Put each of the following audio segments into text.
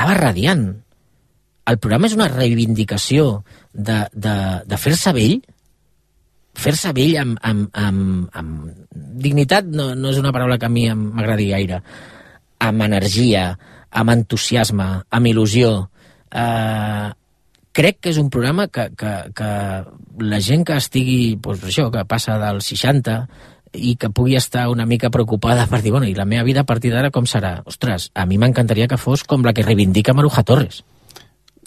estava radiant. El programa és una reivindicació de fer-se vell amb dignitat, no és una paraula que a mi m'agradi gaire, amb energia, amb entusiasme, amb il·lusió. Crec que és un programa que la gent que estigui, doncs això, que passa dels 60 i que pugui estar una mica preocupada per dir, bueno, i la meva vida a partir d'ara com serà? Ostres, a mi m'encantaria que fos com la que reivindica Maruja Torres.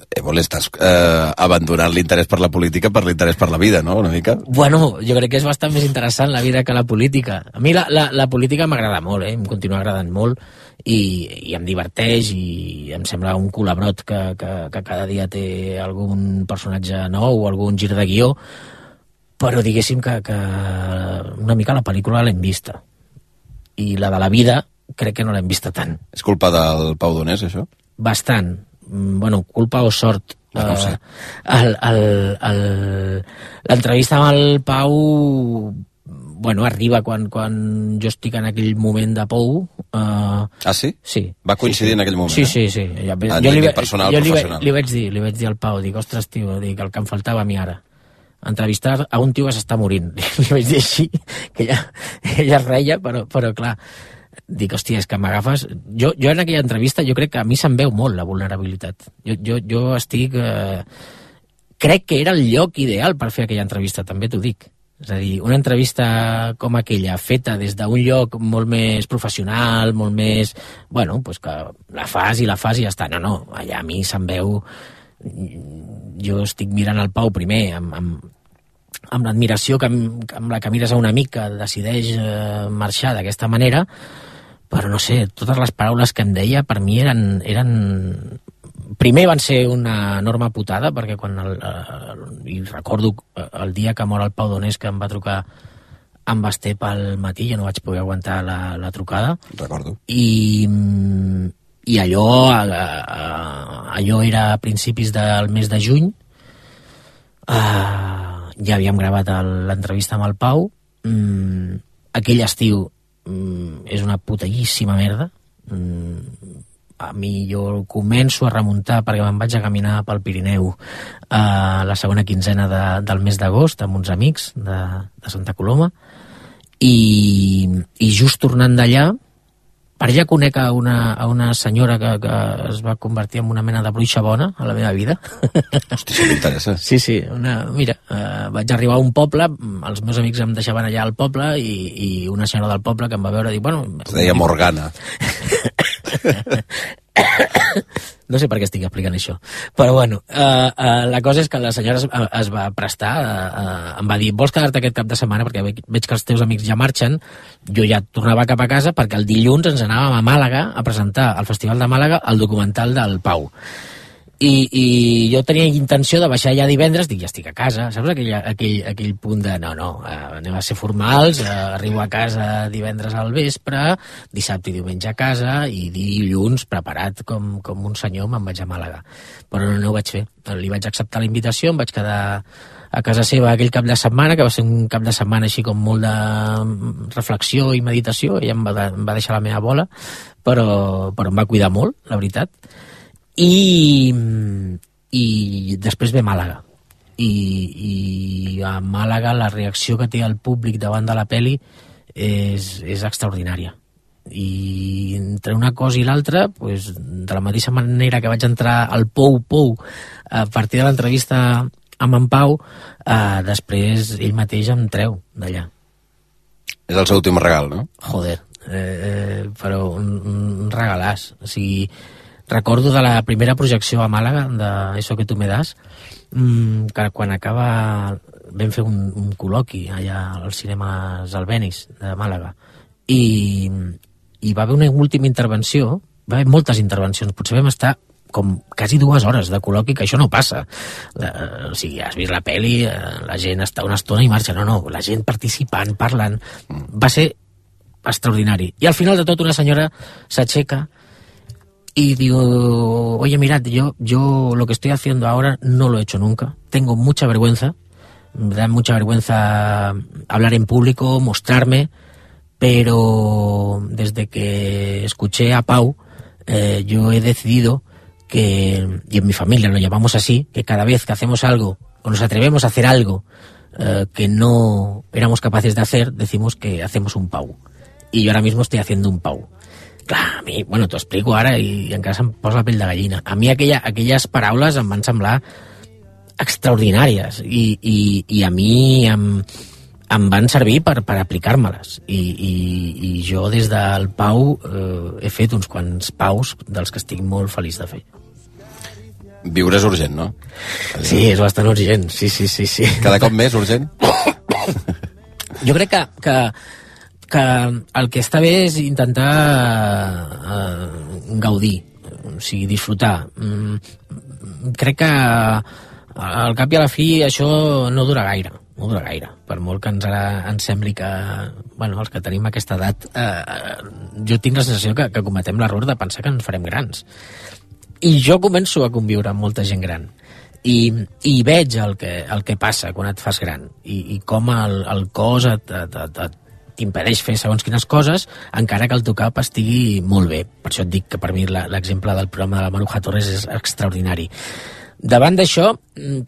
Estàs abandonant l'interès per la política per l'interès per la vida, no?, una mica? Bueno, jo crec que és bastant més interessant la vida que la política. A mi la política m'agrada molt, em continua agradant molt i em diverteix i em sembla un culabrot que cada dia té algun personatge nou o algun gir de guió, però diguéssim que una mica la pel·lícula l'hem vista. I la de la vida crec que no l'hem vista tant. És culpa del Pau Donés, això? Bastant. Bueno, culpa o sort. No ho sé. L'entrevista amb el Pau, bueno, arriba quan jo estic en aquell moment de pou. Sí? Sí. Va coincidir en aquell moment? Sí. Professional. Li vaig dir al Pau, dic, ostres, tio, dic, el que em faltava a mi ara. Entrevistar a un tio que s'està morint. Li vaig dir així, que ella es reia, però clar, dic, hòstia, és que m'agafes... Jo en aquella entrevista, jo crec que a mi se'm veu molt la vulnerabilitat. Jo estic... Crec que era el lloc ideal per fer aquella entrevista, també t'ho dic. És a dir, una entrevista com aquella, feta des d'un lloc molt més professional, molt més... Bueno, doncs que la fas i ja està. No, allà a mi se'm veu... Jo estic mirant el Pau primer amb l'admiració amb la que mires a un amic que decideix marxar d'aquesta manera, però no sé, totes les paraules que em deia per mi eren... Primer van ser una enorme putada, perquè quan i recordo el dia que mor el Pau Donés, que em va trucar amb Basté pel matí, jo no vaig poder aguantar la trucada. Recordo. I allò era a principis del mes de juny. Ja havíem gravat l'entrevista amb el Pau. Aquell estiu és una putallíssima merda. A mi jo començo a remuntar perquè me'n vaig a caminar pel Pirineu la segona quinzena del mes d'agost amb uns amics de Santa Coloma i just tornant d'allà, per allà conec a una senyora que es va convertir en una mena de bruixa bona a la meva vida. Hosti, això m'interessa. Sí, mira, vaig arribar a un poble, els meus amics em deixaven allà al poble i una senyora del poble que em va veure dir, bueno... Es deia Morgana. No sé per què estic explicant això, però bueno, la cosa és que la senyora es va prestar, em va dir, vols quedar-te aquest cap de setmana perquè veig que els teus amics ja marxen. Jo ja tornava cap a casa perquè el dilluns ens anàvem a Màlaga a presentar al Festival de Màlaga el documental del Pau. I jo tenia intenció de baixar ja divendres, dic, ja estic a casa, saps aquell punt de no, anem a ser formals, arribo a casa divendres al vespre, dissabte i diumenge a casa i dilluns preparat com un senyor me'n vaig a Màlaga. Però no ho vaig fer, li vaig acceptar la invitació, em vaig quedar a casa seva aquell cap de setmana, que va ser un cap de setmana així com molt de reflexió i meditació. Ella em va deixar la meva bola, però em va cuidar molt, la veritat. I després ve Màlaga i a Màlaga la reacció que té el públic davant de la pel·li és extraordinària, i entre una cosa i l'altra, pues, de la mateixa manera que vaig entrar al Pou a partir de l'entrevista amb en Pau, després ell mateix em treu d'allà. És el seu últim regal, no? Joder, però un regalàs. O sigui, recordo de la primera projecció a Màlaga de Eso que tú me das, que quan acaba vam fer un col·loqui allà als cinemes Albéniz de Màlaga i va haver una última intervenció, va haver moltes intervencions, potser vam estar com quasi 2 hores de col·loqui, que això no passa. O sigui, has vist la pel·li, la gent està una estona i marxa. No, la gent participant, parlant. Va ser extraordinari. I al final de tot una senyora s'aixeca y digo, oye, mirad, yo lo que estoy haciendo ahora no lo he hecho nunca. Tengo mucha vergüenza. Me da mucha vergüenza hablar en público, mostrarme, pero desde que escuché a Pau, yo he decidido y en mi familia lo llamamos así, que cada vez que hacemos algo, o nos atrevemos a hacer algo que no éramos capaces de hacer, decimos que hacemos un pau. I jo ara mismo estoy haciendo un pau. Clar, a mi, bueno, t'ho explico ara i encara se'm posa la pell de gallina. A mi aquelles paraules em van semblar extraordinàries i a mi em van servir per aplicar-me-les. I jo des del pau he fet uns quants paus dels que estic molt feliç de fer. Viure és urgent, no? Sí, és bastant urgent, sí. Cada cop més urgent? Jo crec que el que està bé és intentar gaudir, o sigui, disfrutar. Crec que al cap i a la fi això no dura gaire, per molt que ens sembli que, bueno, els que tenim aquesta edat, jo tinc la sensació que cometem l'error de pensar que ens farem grans. I jo començo a conviure amb molta gent gran i veig el que passa quan et fas gran i com el cos t'impedeix fer segons quines coses, encara que el teu cap estigui molt bé. Per això et dic que per mi l'exemple del programa de la Maruja Torres és extraordinari. Davant d'això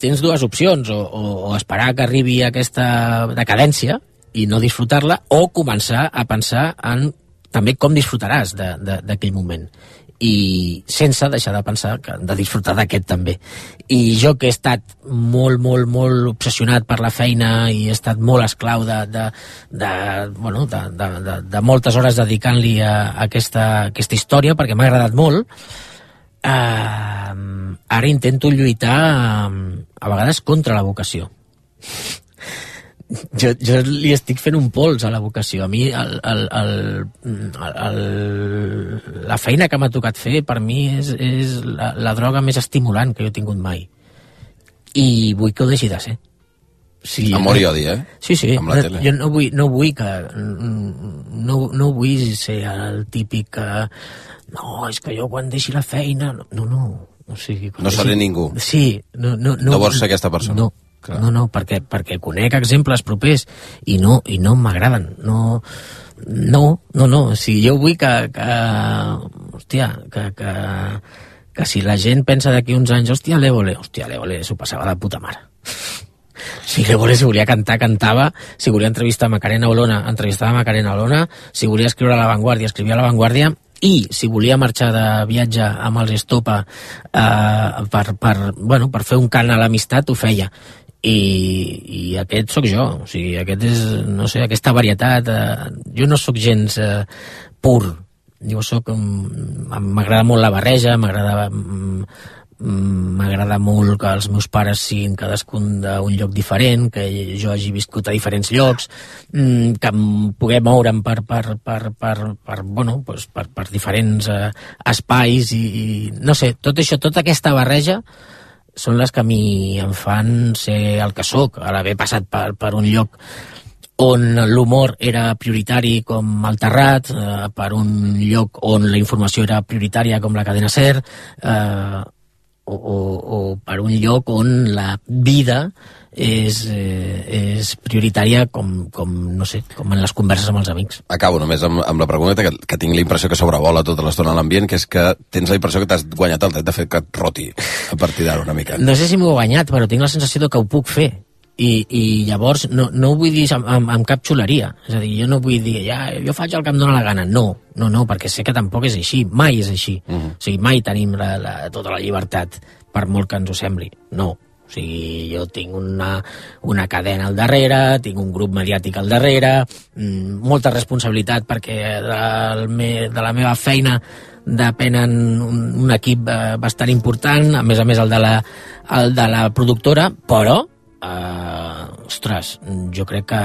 tens dues opcions, o esperar que arribi aquesta decadència i no disfrutar-la, o començar a pensar en també com disfrutaràs d'aquell moment, i sense deixar de pensar de disfrutar d'aquest també. I jo, que he estat molt obsessionat per la feina i he estat molt esclau de moltes hores dedicant-li a aquesta història, perquè m'ha agradat molt, ara intento lluitar a vegades contra la vocació. Jo li estic fent un pols a la vocació. A mi la feina que m'ha tocat fer per mi és la droga més estimulant que jo he tingut mai, i vull que ho deixi de ser. Sí, amor i odi, Sí. Amb la tele. Jo no vull ser el típic no, és que jo quan deixi la feina no. O sigui, no seré ningú. Sí, no vols ser aquesta persona. No. Clar. No, perquè conec exemples propers i no m'agraden. No. O sigui, jo vull que si la gent pensa d'aquí uns anys, l'Évole s'ho passava de puta mare. Si l'Évole, si volia cantar, cantava. Si volia entrevistar Macarena Olona, entrevistava Macarena Olona. Si volia escriure a La Vanguardia, escrivia a La Vanguardia. I si volia marxar de viatge amb els Estopa per fer un cant a l'amistat, ho feia. I aquest sóc jo, o sigui, aquest és, no sé, aquesta varietat. Jo no sóc gens pur, jo sóc, m'agrada molt la barreja, m'agrada molt que els meus pares siguin cadascun d'un lloc diferent, que jo hagi viscut a diferents llocs, que em pugui moure'm per diferents espais i no sé, tot això, tota aquesta barreja són les que a mi em fan ser el que sóc, a l'haver passat per un lloc on l'humor era prioritari com el Terrat, per un lloc on la informació era prioritària com la Cadena SER, o per un lloc on la vida és prioritària com no sé, com en les converses amb els amics. Acabo només amb la pregunta que tinc la impressió que sobrevola tota l'estona a l'ambient, que és que tens la impressió que t'has guanyat el dret de fer que et roti a partir d'ara una mica. No sé si m'ho he guanyat, però tinc la sensació que ho puc fer. I llavors no ho vull dir amb cap xuleria. És a dir, jo no vull dir jo faig el que em dóna la gana. No, perquè sé que tampoc és així, mai és així. O sigui, mai tenim tota la llibertat, per molt que ens ho sembli. No. O sigui, jo tinc una cadena al darrere, tinc un grup mediàtic al darrere, molta responsabilitat perquè de la meva feina depenen un equip bastant important, a més el de la productora, però ostres, jo crec que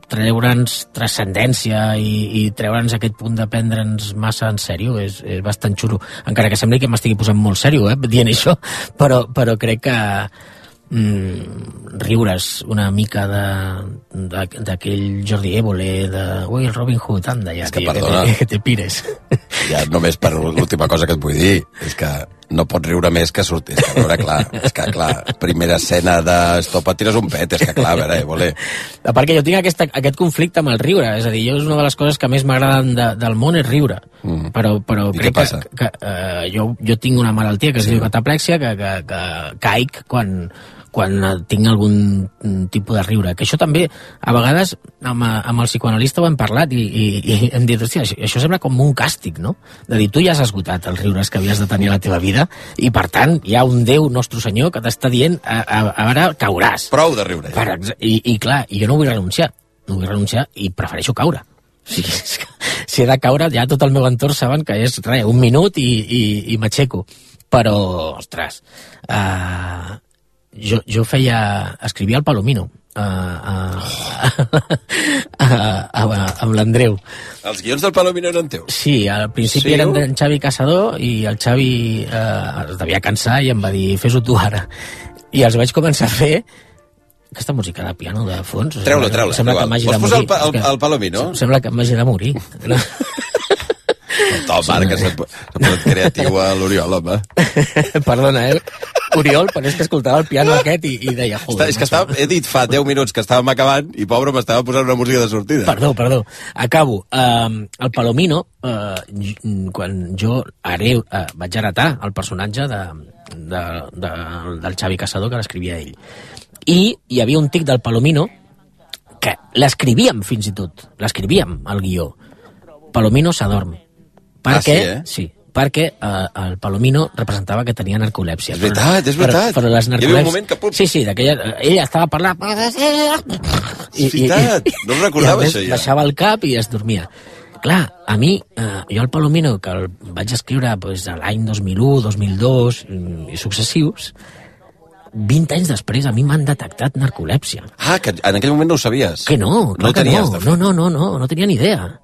treure'ns transcendència i treure'ns aquest punt de prendre'ns massa en sèrio és bastant xulo, encara que sembli que m'estigui posant molt sèrio dient això, però crec que riure's una mica d'aquell Jordi Évole el Robin Hood, anda ja, és que, perdona, que te pires. Ja només per l'última cosa que et vull dir és que no pots riure més que sortir. És que, a veure, clar, primera escena d'Estopa, tires un pet, és que clar, a veure, voler. A part que jo tinc aquest conflicte amb el riure, és a dir, és una de les coses que més m'agraden del món és riure, però crec que jo tinc una malaltia que es diu cataplèxia, que caic quan tinc algun tipus de riure, que això també a vegades amb el psicoanalista ho hem parlat i hem dit, hòstia, això sembla com un càstig, no? De dir, tu ja has esgotat els riures que havies de tenir a la teva vida i per tant hi ha un Déu, nostre Senyor, que t'està dient ara cauràs. Prou de riure. I clar, jo no vull renunciar i prefereixo caure. O sigui, si he de caure, ja tot el meu entorn saben que és un minut i m'aixeco. Però, ostres, jo escrivia al Palomino amb l'Andreu. Els guions del Palomino eren teus? Sí, al principi eren d'en Xavi Caçador i el Xavi es devia cansar i em va dir, fes-ho tu ara. I els vaig començar a fer. Aquesta música de piano de fons... Treu-la. Sembla que m'hagi de morir. Vols posar el Palomino? Sembla que m'hagi de morir. Marc, que s'ha posat creatiu a l'Oriol, home. Perdona, Oriol, però és que escoltava el piano aquest i deia... És que he dit fa 10 minuts que estàvem acabant i, pobre, m'estava posant una música de sortida. Perdó. Acabo. El Palomino, quan jo vaig heretar el personatge del Xavi Caçador, que l'escrivia ell. I hi havia un tic del Palomino que l'escrivíem fins i tot. L'escrivíem, al guió. Palomino s'adorm. Perquè el Palomino representava que tenia narcolèpsia. És veritat. Però les narcolèpsies... Hi havia un moment que... Sí, ella estava parlant... És veritat, no em recordava això ja. Baixava el cap i es dormia. Clar, a mi, jo el Palomino, que el vaig escriure l'any 2001, 2002 i successius, 20 anys després a mi m'han detectat narcolèpsia. Que en aquell moment no ho sabies. Que no, clar que no. No tenia ni idea.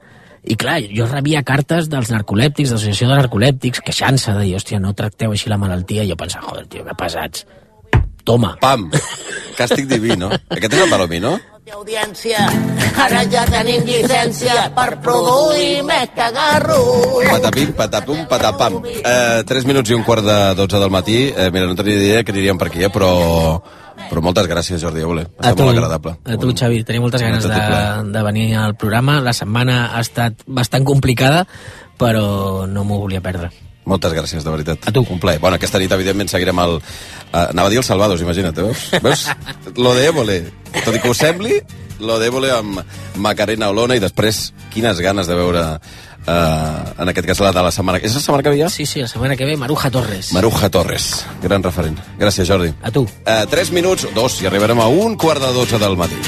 I clar, jo rebia cartes dels narcolèptics, de l'associació de narcolèptics, queixant-se de dir, hòstia, no tracteu així la malaltia, i jo pensava, joder, tio, que pesats. Toma. Pam. Càstig diví, no? Aquest és el Palomino? Audiència, ara ja tenim llicència per produir més cagarros. Patapim, patapum, patapam. 3 minuts i un quart de 12 del matí. Mira, no tenia idea que aniríem per aquí, però moltes gràcies, Jordi Évole. Ha estat molt agradable. A tu, Xavi, tenia moltes ganes de venir al programa. La setmana ha estat bastant complicada, però no m'ho volia perdre. Moltes gràcies, de veritat. A tu. Un plaer. Bueno, aquesta nit, evidentment, seguirem anava a dir el Salvados, imagina't, veus? Lo de Évole. Tot i que ho sembli, lo de Évole amb Macarena Olona, i després, quines ganes de veure, en aquest cas, la de la setmana... És la setmana que ve ja? Sí, la setmana que ve, Maruja Torres. Maruja Torres, gran referent. Gràcies, Jordi. A tu. 3 minuts, 2, i arribarem a 1:45 del matí.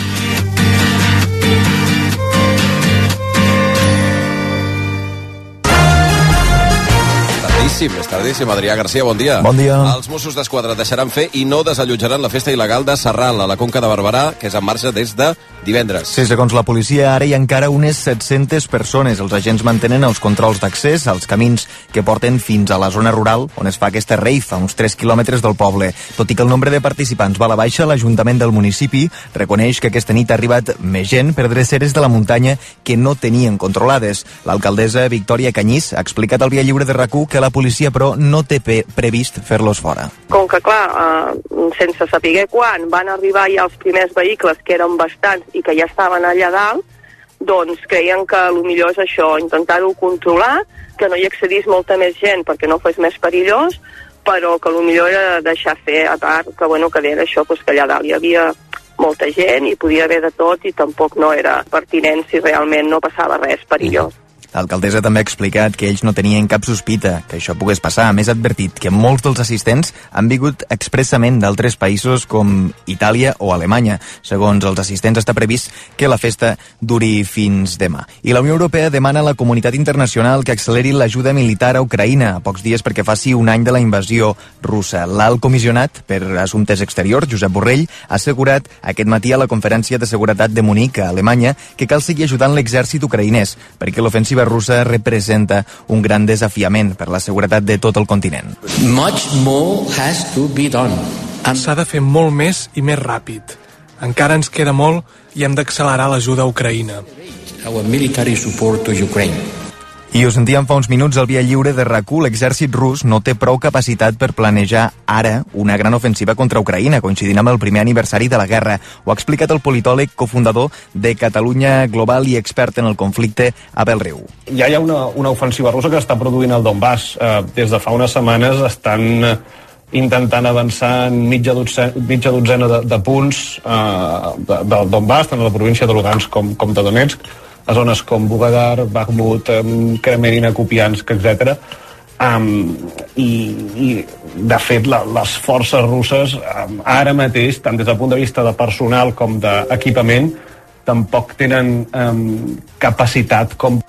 És tardíssim. Adrià Garcia, bon dia. Bon dia. Els Mossos d'Esquadra deixaran fer i no desallotjaran la festa il·legal de Sarral, a la Conca de Barberà, que és en marxa des de divendres. Sí, segons la policia, ara hi ha encara unes 700 persones. Els agents mantenen els controls d'accés als camins que porten fins a la zona rural, on es fa aquesta rave, a uns 3 quilòmetres del poble. Tot i que el nombre de participants va a la baixa, l'Ajuntament del municipi reconeix que aquesta nit ha arribat més gent per dreceres de la muntanya que no tenien controlades. L'alcaldessa Victòria Canyís ha explicat al Via Lliure de RAC1 que la policia, però, no té previst fer-los fora. Com que, clar, sense saber quan van arribar ja els primers vehicles, que eren bastants i que ja estaven allà dalt, doncs creien que el millor és això, intentar-ho controlar, que no hi accedís molta més gent perquè no fos més perillós, però que el millor era deixar fer, a part que, bueno, que era això, doncs, que allà dalt hi havia molta gent i podia haver de tot i tampoc no era pertinent si realment no passava res perillós. L'alcaldessa també ha explicat que ells no tenien cap sospita que això pogués passar. A més, ha advertit que molts dels assistents han vingut expressament d'altres països com Itàlia o Alemanya. Segons els assistents, està previst que la festa duri fins demà. I la Unió Europea demana a la comunitat internacional que acceleri l'ajuda militar a Ucraïna, a pocs dies perquè faci un any de la invasió russa. L'alt comissionat per Assumptes Exteriors, Josep Borrell, ha assegurat aquest matí a la Conferència de Seguretat de Munic, a Alemanya, que cal seguir ajudant l'exèrcit ucraïnès, perquè l'ofensiva russa representa un gran desafiament per la seguretat de tot el continent. Much more has to be done. S'ha de fer molt més i més ràpid. Encara ens queda molt i hem d'accelerar l'ajuda a Ucraïna. Our military support to Ukraine. I ho sentíem fa uns minuts al Via Lliure de RAC1, l'exèrcit rus no té prou capacitat per planejar ara una gran ofensiva contra Ucraïna, coincidint amb el primer aniversari de la guerra. Ho ha explicat el politòleg cofundador de Catalunya Global i expert en el conflicte, Abel Riu. Ja hi ha una ofensiva russa que està produint el Donbass. Des de fa unes setmanes estan intentant avançar en mitja dotzena de punts del Donbass, tant a la província de Lugansk com de Donetsk, a zones com Vuhledar, Bakhmut, Kremenina, Kupiansk, etc. I de fet les forces russes ara mateix, tant des del punt de vista de personal com d'equipament, tampoc tenen capacitat com...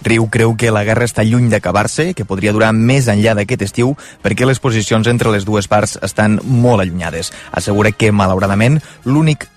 Riu creu que la guerra està lluny d'acabar-se, que podria durar més enllà d'aquest estiu, perquè les posicions entre les dues parts estan molt allunyades. Assegura que, malauradament, l'únic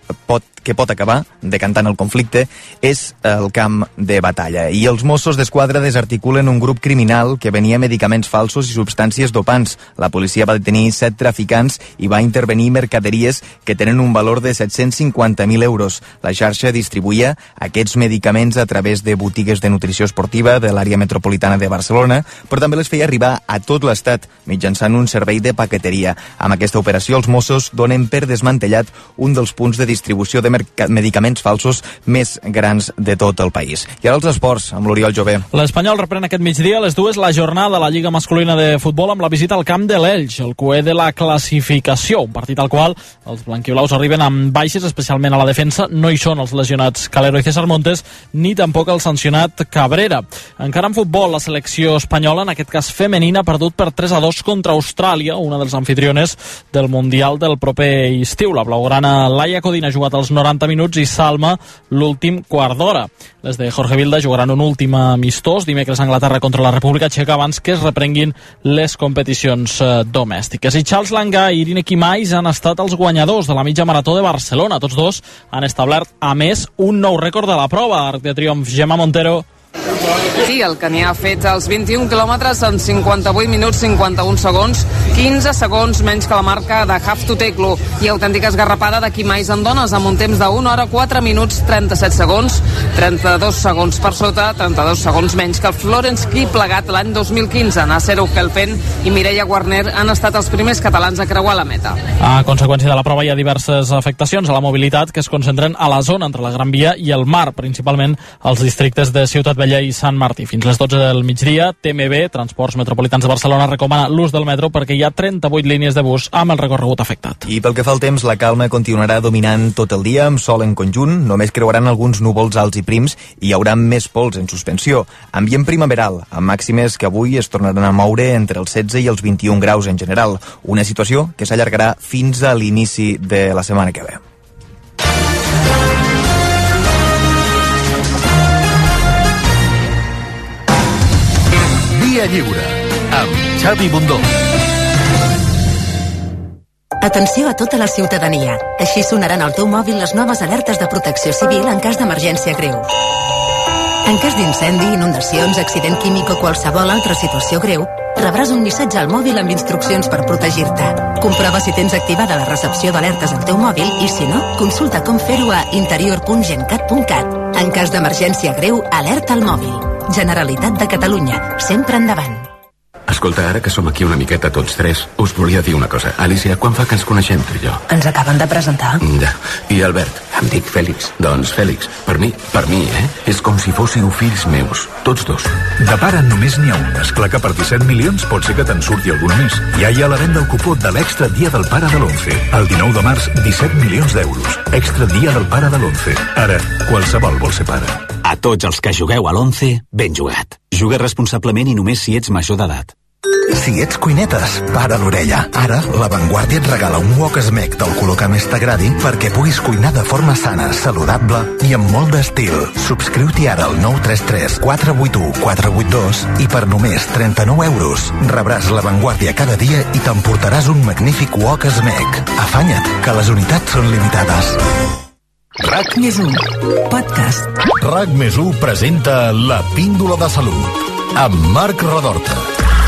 que pot acabar decantant el conflicte és el camp de batalla. I els Mossos d'Esquadra desarticulen un grup criminal que venia medicaments falsos i substàncies dopants. La policia va detenir 7 traficants i va intervenir mercaderies que tenen un valor de 750.000 euros. La xarxa distribuïa aquests medicaments a través de botigues de nutrició esportiva de l'àrea metropolitana de Barcelona, però també les feia arribar a tot l'estat mitjançant un servei de paqueteria. Amb aquesta operació, els Mossos donen per desmantellat un dels punts de distribució de medicaments falsos més grans de tot el país. I ara els esports, amb l'Oriol Jové. L'Espanyol reprèn aquest migdia a les 2 la jornada de la Lliga Masculina de Futbol amb la visita al camp de l'Elx, el cué de la classificació, un partit al qual els blanquiblaus arriben amb baixes, especialment a la defensa. No hi són els lesionats Calero i César Montes, ni tampoc el sancionat Cabrera. Encara en futbol, la selecció espanyola, en aquest cas femenina, ha perdut per 3-2 contra Austràlia, una dels anfitriones del Mundial del proper estiu. La blaugrana Laia Codina ha jugat els 90 minuts i Salma l'últim quart d'hora. Les de Jorge Vilda jugaran un últim amistós dimecres a Anglaterra contra la República Txeca abans que es reprenguin les competicions domèstiques. I Charles Langa i Irine Quimais han estat els guanyadors de la mitja marató de Barcelona. Tots dos han establert, a més, un nou rècord de la prova. Arc de triomf, Gemma Montero. Sí, el que n'hi ha fet els 21 quilòmetres en 58 minuts 51 segons, 15 segons menys que la marca de Haftuteklu i autèntica esgarrapada de Quimais en dones amb un temps de 1 hora 4 minuts 37 segons, 32 segons per sota, 32 segons menys que el Florence Key plegat l'any 2015. Nasser Ukelpen i Mireia Guarner han estat els primers catalans a creuar la meta. A conseqüència de la prova hi ha diverses afectacions a la mobilitat que es concentren a la zona entre la Gran Via i el mar, principalment als districtes de Ciutat Vella i Sant Martí. Fins les 12 del migdia, TMB, Transports Metropolitans de Barcelona, recomana l'ús del metro perquè hi ha 38 línies de bus amb el recorregut afectat. I pel que fa al temps, la calma continuarà dominant tot el dia, amb sol en conjunt, només creuaran alguns núvols alts i prims i hi haurà més pols en suspensió. Ambient primaveral, amb màximes que avui es tornaran a moure entre els 16 i els 21 graus en general, una situació que s'allargarà fins a l'inici de la setmana que ve. Via Lliure, amb Xavi Bundó. Atenció a tota la ciutadania. Així sonaran al teu mòbil les noves alertes de protecció civil en cas d'emergència greu. En cas d'incendi, inundacions, accident químic o qualsevol altra situació greu, rebràs un missatge al mòbil amb instruccions per protegir-te. Comprova si tens activada la recepció d'alertes al teu mòbil i, si no, consulta com fer-ho a interior.gencat.cat. En cas d'emergència greu, alerta al mòbil. Generalitat de Catalunya, sempre endavant. Escolta, ara que som aquí una miqueta tots tres, us volia dir una cosa. Alicia, quan fa que ens coneixem, tu i jo? Ens acaben de presentar. Ja. I Albert? Em dic Fèlix. Doncs Fèlix, per mi, és com si fóssiu fills meus, tots dos. De pare només n'hi ha un. Esclar que per 17 milions pot ser que te'n surti alguna més. Ja hi ha la venda del cupó de l'Extra Dia del Pare de l'11. El 19 de març, 17 milions d'euros. Extra Dia del Pare de l'11. Ara, qualsevol vol ser pare. A tots els que jugueu a l'11, ben jugat. Juga responsablement i només si ets major d'edat. Si ets cuinetes, para l'orella. Ara, La Vanguardia et regala un wok Smeg del color que més t'agradi perquè puguis cuinar de forma sana, saludable i amb molt d'estil. Subscriu-t'hi ara al 933 481 482 i per només 39 euros rebràs La Vanguardia cada dia i t'emportaràs un magnífic wok Smeg. Afanya't, que les unitats són limitades. RAC+1 Podcast. RAC+1 presenta La Píndola de Salut amb Marc Redorta.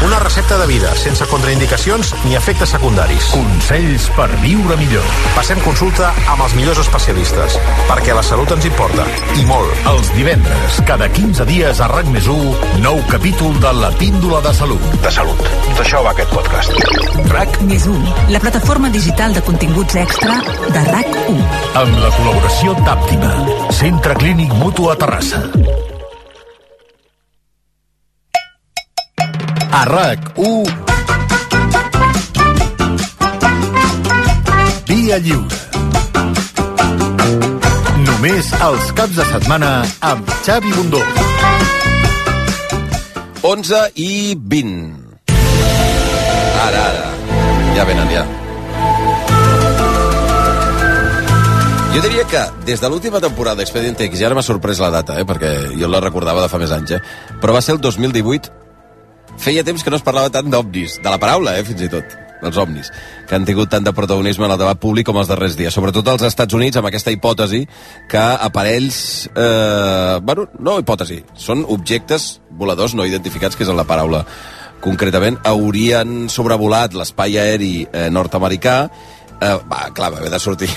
Una recepta de vida, sense contraindicacions ni efectes secundaris. Consells per viure millor. Passem consulta amb els millors especialistes, perquè la salut ens importa, i molt. Els divendres, cada 15 dies a RAC+1, nou capítol de La Píndola de Salut. De salut. D'això va aquest podcast. RAC+1, la plataforma digital de continguts extra de RAC1. Amb la col·laboració d'Àptima, Centre Clínic Mutu a Terrassa. A RAC1, Via Lliure. Només els caps de setmana amb Xavi Bundó. 11:20. Ara. Ja venen, ja. Jo diria que des de l'última temporada d'Expediente X, i ara m'ha sorprès la data, perquè jo la recordava de fa més anys, però va ser el 2018. Feia temps que no es parlava tant d'ovnis, de la paraula, fins i tot, dels ovnis, que han tingut tant de protagonisme en el debat públic com els darrers dies, sobretot als Estats Units, amb aquesta hipòtesi que aparells... no hipòtesi, són objectes voladors no identificats, que és la paraula concretament, haurien sobrevolat l'espai aeri nord-americà. Clar, va haver de sortir...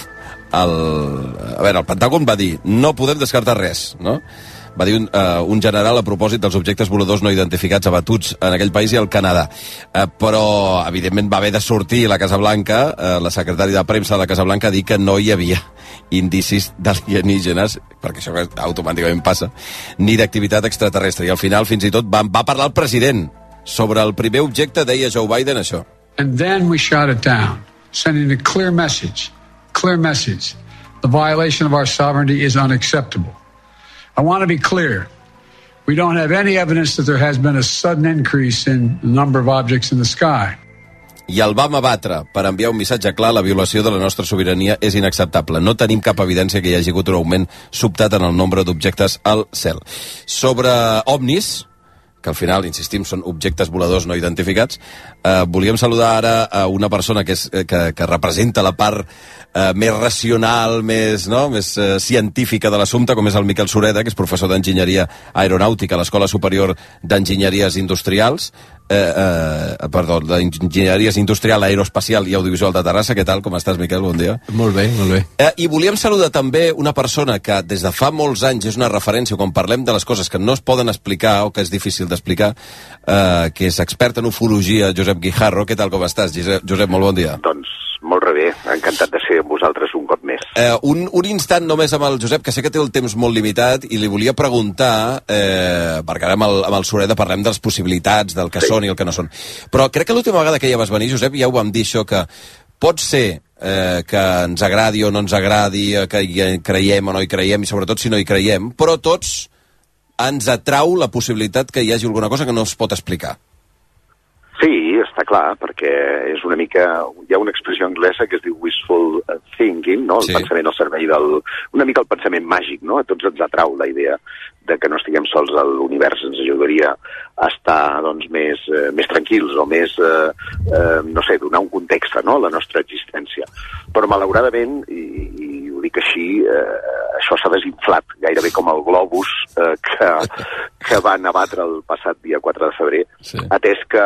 el Pentàgon va dir, no podem descartar res, no? Va dir un general a propòsit dels objectes voladors no identificats abatuts en aquell país i al Canadà. Però, evidentment, va haver de sortir la Casa Blanca, la secretària de premsa de la Casa Blanca, a dir que no hi havia indicis d'alienígenes, perquè això automàticament passa, ni d'activitat extraterrestre. I al final, fins i tot, va parlar el president. Sobre el primer objecte, deia Joe Biden això. And then we shot it down, sending a clear message. The violation of our sovereignty is unacceptable. I want to be clear. We don't have any evidence that there has been a sudden increase in the number of objects in the sky. I el vam abatre per enviar un missatge clar: la violació de la nostra sobirania és inacceptable. No tenim cap evidència que hi hagi hagut un augment sobtat en el nombre d'objectes al cel. Sobre ovnis, que al final, insistim, són objectes voladors no identificats, volíem saludar ara a una persona que representa la part més racional, més científica de l'assumpte, com és el Miquel Sureda, que és professor d'enginyeria aeronàutica a l'Escola Superior d'Enginyeries Industrials, d'Enginyeries Industrial, Aeroespacial i Audiovisual de Terrassa. Què tal? Com estàs, Miquel? Bon dia. Molt bé, molt bé. I volíem saludar també una persona que des de fa molts anys és una referència quan parlem de les coses que no es poden explicar o que és difícil d'explicar, que és expert en ufologia, Josep Guijarro. Què tal, com estàs, Josep? Molt bon dia. Doncs molt bé, encantat de ser amb vosaltres un cop més. Un instant només amb el Josep, que sé que té el temps molt limitat, i li volia preguntar, perquè ara amb el Sureda parlem de les possibilitats, del que són i el que no són. Però crec que l'última vegada que ja vas venir, Josep, ja ho vam dir això, que pot ser que ens agradi o no ens agradi, que hi creiem o no hi creiem, i sobretot si no hi creiem, però tots ens atrau la possibilitat que hi hagi alguna cosa que no es pot explicar. Sí, està clar, perquè és una mica... Hi ha una expressió anglesa que es diu wishful thinking, no? El pensament al servei del... Una mica el pensament màgic, no? A tots ens atrau la idea de que no estiguem sols a l'univers. Ens ajudaria a estar, doncs, més tranquils o més, no sé, donar un context, no?, a la nostra existència. Però, malauradament, i ho dic així, això s'ha desinflat, gairebé com el globus que van abatre el passat dia 4 de febrer, atès que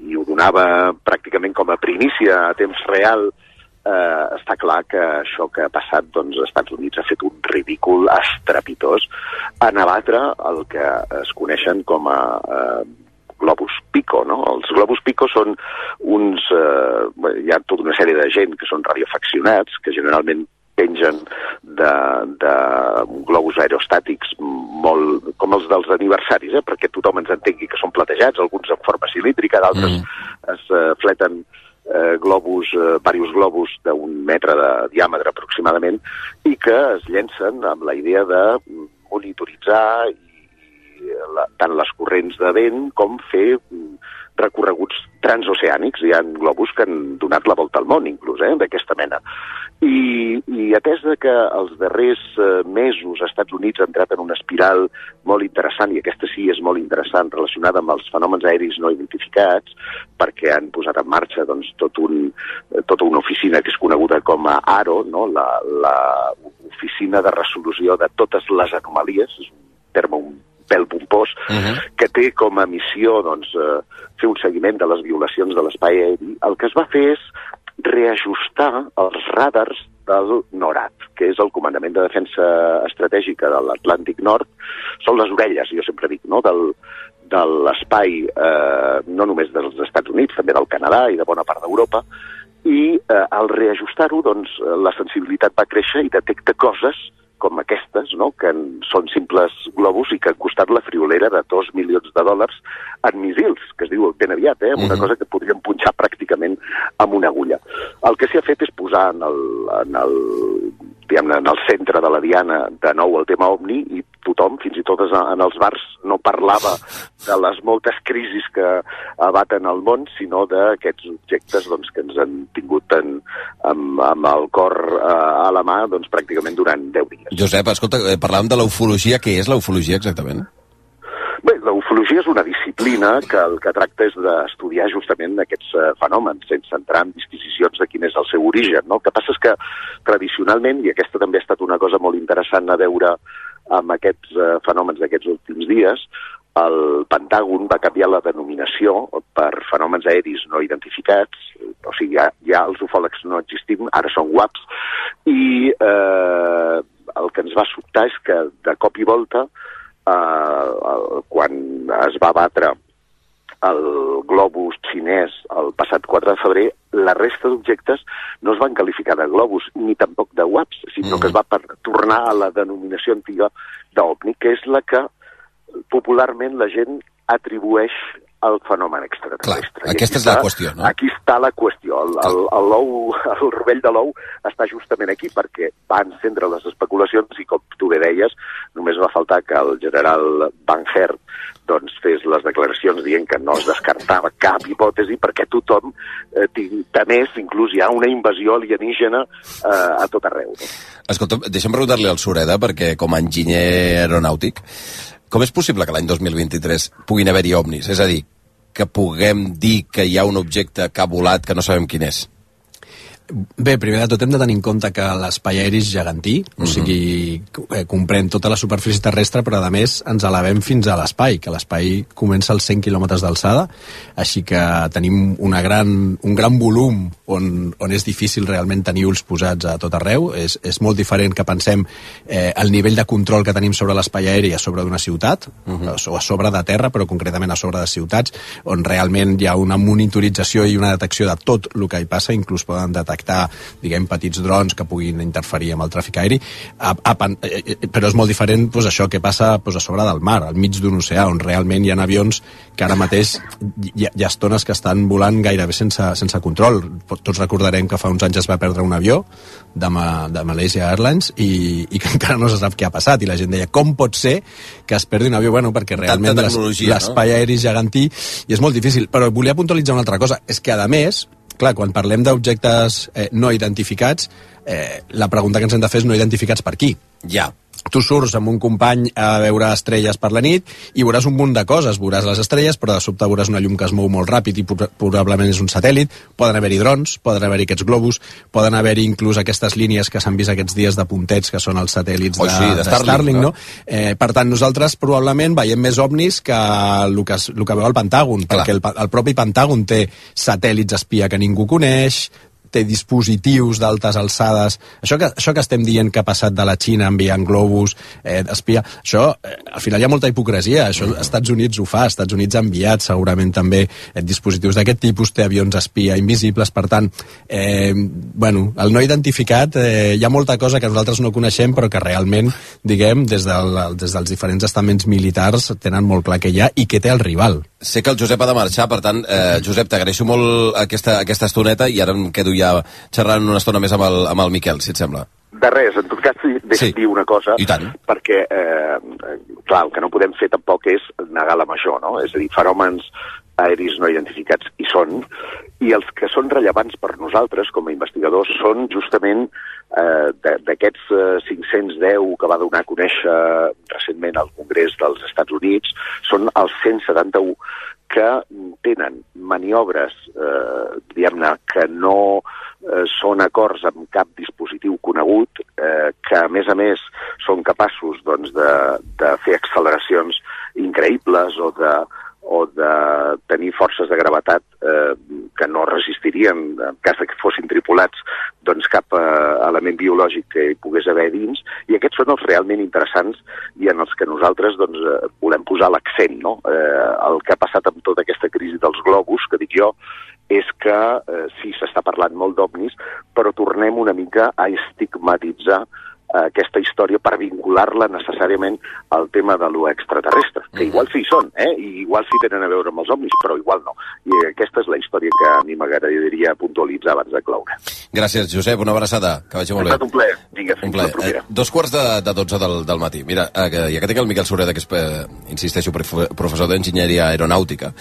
i ho donava pràcticament com a primícia a temps real. Està clar que això que ha passat, doncs, als Estats Units ha fet un ridícul estrepitós en abatre el que es coneixen com a globus pico, no? Els globus pico són uns... hi ha tota una sèrie de gent que són radioafeccionats, que generalment pengen de globus aerostàtics molt com els dels aniversaris, perquè tothom ens entengui que són platejats, alguns en forma cilíndrica, d'altres es fleten diversos globus d'1 metre de diàmetre aproximadament, i que es llencen amb la idea de monitoritzar tant les corrents de vent com fer recorreguts transoceànics. Hi ha globus que han donat la volta al món, inclús, d'aquesta mena. I atès que els darrers mesos als Estats Units ha entrat en una espiral molt interessant, i aquesta sí és molt interessant, relacionada amb els fenòmens aeris no identificats, perquè han posat en marxa, doncs, tota una oficina que és coneguda com a ARO, no?, la Oficina de Resolució de Totes les Anomalies, és un terme un pèl pompós, que té com a missió doncs, fer un seguiment de les violacions de l'espai aeri. El que es va fer és reajustar els radars del NORAD, que és el Comandament de Defensa Estratègica de l'Atlàntic Nord. Són les orelles, jo sempre dic, no?, de l'espai, no només dels Estats Units, també del Canadà i de bona part d'Europa, i al reajustar-ho, doncs, la sensibilitat va créixer i detecta coses com aquestes, no?, que són simples globus i que han costat la friolera de $2 milions en missils, que es diu ben aviat, una cosa que podríem punxar pràcticament amb una agulla. El que s'ha fet és posar en el centre de la diana de nou el tema OVNI, i tothom, fins i tot en els bars, no parlava de les moltes crisis que abaten el món, sinó d'aquests objectes doncs, que ens han tingut amb el cor a la mà doncs, pràcticament durant 10 dies. Josep, escolta, parlàvem de la ufologia. Què és la ufologia exactament? Bé, la ufologia és una disciplina que el que tracta és d'estudiar justament aquests fenòmens, sense entrar en disquisicions de quin és el seu origen, no? El que passa és que tradicionalment, i aquesta també ha estat una cosa molt interessant a veure amb aquests fenòmens d'aquests últims dies, el Pentàgon va canviar la denominació per fenòmens aeris no identificats, o sigui, ja els ufòlegs no existim, ara són UAPs, i el que ens va sobtar és que de cop i volta, quan es va batre el globus xinès el passat 4 de febrer, la resta d'objectes no es van qualificar de globus ni tampoc de UAPs, sinó que es va tornar a la denominació antiga d'OVNI, que és la que popularment la gent atribueix al fenomen extraterrestre. Clar, aquesta és la qüestió, no? Aquí està la qüestió. El rovell de l'ou està justament aquí, perquè va encendre les especulacions i, com tu bé deies, només va faltar que el general Van Herk doncs, fes les declaracions dient que no es descartava cap hipòtesi perquè tothom temés, inclús hi ha una invasió alienígena a tot arreu. No? Escolta, deixa'm preguntar-li al Sureda, perquè com a enginyer aeronàutic, com és possible que l'any 2023 puguin haver-hi ovnis? És a dir, que puguem dir que hi ha un objecte que ha volat que no sabem quin és? Bé, primer de tot hem de tenir en compte que l'espai aeri és gegantí, o sigui, comprèn tota la superfície terrestre, però a més ens elevem fins a l'espai, que l'espai comença als 100 quilòmetres d'alçada, així que tenim un gran volum on és difícil realment tenir ulls posats a tot arreu. És molt diferent que pensem el nivell de control que tenim sobre l'espai aeri a sobre d'una ciutat, o a sobre de terra, però concretament a sobre de ciutats, on realment hi ha una monitorització i una detecció de tot el que hi passa, inclús poden detectar diguem, petits drons que puguin interferir amb el tràfic aeri, però és molt diferent doncs, això que passa doncs, a sobre del mar, al mig d'un oceà, on realment hi ha avions que ara mateix hi ha estones que estan volant gairebé sense control. Tots recordarem que fa uns anys es va perdre un avió de Malaysia Airlines i que encara no se sap què ha passat, i la gent deia, com pot ser que es perdi un avió? Bueno, perquè realment l'espai aeri és gegantí i és molt difícil. Però volia puntualitzar una altra cosa, és que a més, clar, quan parlem d'objectes no identificats, la pregunta que ens hem de fer és no identificats per qui. Ja. Tu surts amb un company a veure estrelles per la nit i veuràs un munt de coses. Veuràs les estrelles, però de sobte veuràs una llum que es mou molt ràpid i probablement és un satèl·lit. Poden haver-hi drons, poden haver-hi aquests globus, poden haver-hi inclús aquestes línies que s'han vist aquests dies de puntets, que són els satèl·lits de Starlink, no? Per tant, nosaltres probablement veiem més ovnis que el que veu el Pentàgon, perquè el propi Pentàgon té satèl·lits espia que ningú coneix, té dispositius d'altes alçades. Això que estem dient que ha passat de la Xina enviant globus d'espia, això, al final hi ha molta hipocresia. Això als Estats Units ho fa, als Estats Units ha enviat segurament també dispositius d'aquest tipus, té avions espia invisibles, per tant, el no identificat, hi ha molta cosa que nosaltres no coneixem, però que realment, diguem, des dels diferents estaments militars tenen molt clar que hi ha i que té el rival. Sé que el Josep ha de marxar, per tant, Josep, t'agraeixo molt aquesta estoneta i ara em quedo ja xerrant una estona més amb el Miquel, si et sembla. De res, en tot cas, deixa'm dir una cosa, perquè, clar, el que no podem fer tampoc és negar la major, no? És a dir, fenòmens aeris no identificats hi són, i els que són rellevants per nosaltres com a investigadors són justament d'aquests 510 que va donar a conèixer recentment al Congrés dels Estats Units, són els 171 que tenen maniobres, diguem-ne, que no són acords amb cap dispositiu conegut, que a més són capaços doncs, de fer acceleracions increïbles o de tenir forces de gravetat que no resistirien en cas que fossin tripulats doncs, cap element biològic que hi pogués haver dins, i aquests són els realment interessants i en els que nosaltres doncs, volem posar l'accent. No? El que ha passat amb tota aquesta crisi dels globus, que dic jo, és que sí, s'està parlant molt d'ovnis, però tornem una mica a estigmatitzar aquesta història per vincular-la necessàriament al tema de lo extraterrestre, que igual sí hi són, i igual sí tenen a veure amb els ovnis, però igual no. I aquesta és la història que a mi m'agradaria puntualitzar abans de cloure. Gràcies, Josep, una abraçada, que vagi molt bé. Ha estat un plaer. Vinga, fins la propera. 2:45 del matí. Mira, ja que tinc el Miquel Sureda, que és, insisteixo, professor d'enginyeria aeronàutica,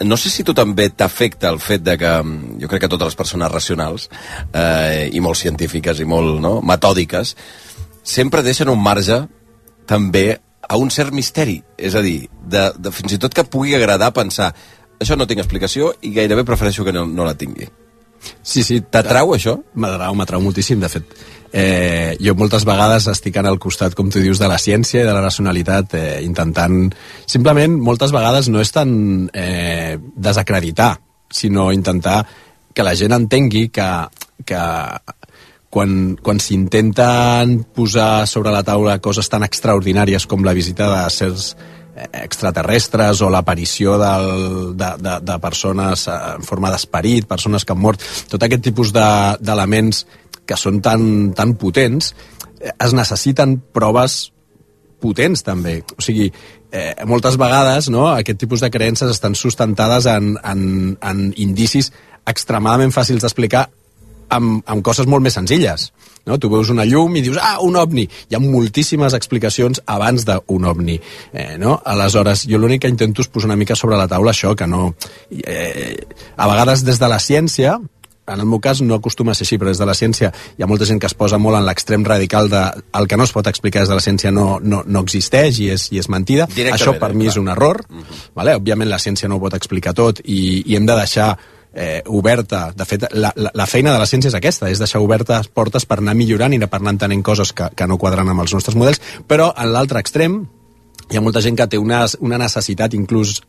no sé si tu també t'afecta el fet de que, jo crec que totes les persones racionals, i molt científiques i molt metòdiques, sempre deixen un marge també a un cert misteri, és a dir, de fins i tot que pugui agradar pensar això no tinc explicació i gairebé prefereixo que no la tingui. Sí. T'atrau això? M'atrau moltíssim, de fet. Jo moltes vegades estic al costat, com tu dius, de la ciència i de la racionalitat, intentant... Simplement, moltes vegades no és tant desacreditar, sinó intentar que la gent entengui que quan s'intenten posar sobre la taula coses tan extraordinàries com la visita de certs extraterrestres o l'aparició de persones en forma d'esperit, persones que han mort, tot aquest tipus d'elements que són tan potents, es necessiten proves potents també. O sigui, moltes vegades aquest tipus de creences estan sustentades en indicis extremadament fàcils d'explicar amb coses molt més senzilles. No? Tu veus una llum i dius, un ovni. Hi ha moltíssimes explicacions abans d'un ovni. No? Aleshores, jo l'únic que intento és posar una mica sobre la taula això, que no... a vegades des de la ciència, en el meu cas no acostuma a ser així, però des de la ciència hi ha molta gent que es posa molt en l'extrem radical de el que no es pot explicar des de la ciència no existeix i és mentida. Això per mi és un error. Vale? Òbviament la ciència no ho pot explicar tot i hem de deixar oberta, de fet la feina de la ciència és aquesta, és deixar obertes portes per anar millorant i per anar entenent coses que no quadren amb els nostres models, però en l'altre extrem hi ha molta gent que té una necessitat inclús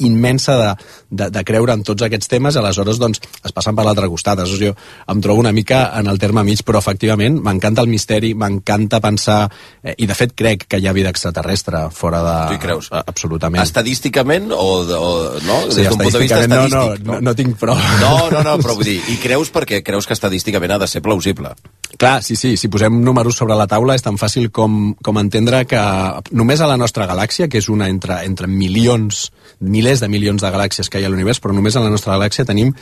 immensa de creure en tots aquests temes, aleshores doncs es passen per l'altre costat. Aleshores jo em trobo una mica en el terme mig, però efectivament m'encanta el misteri, m'encanta pensar, i de fet crec que hi ha vida extraterrestre fora de... Tu hi creus? Absolutament. Estadísticament o no? Sí, des d'un punt de vista estadístic. No tinc prou. No, però vull dir, i creus perquè creus que estadísticament ha de ser plausible? Clar, sí, si posem números sobre la taula és tan fàcil com entendre que només a la nostra galàxia, que és una entre milers de milions de galàxies que hi ha a l'univers, però només a la nostra galàxia tenim,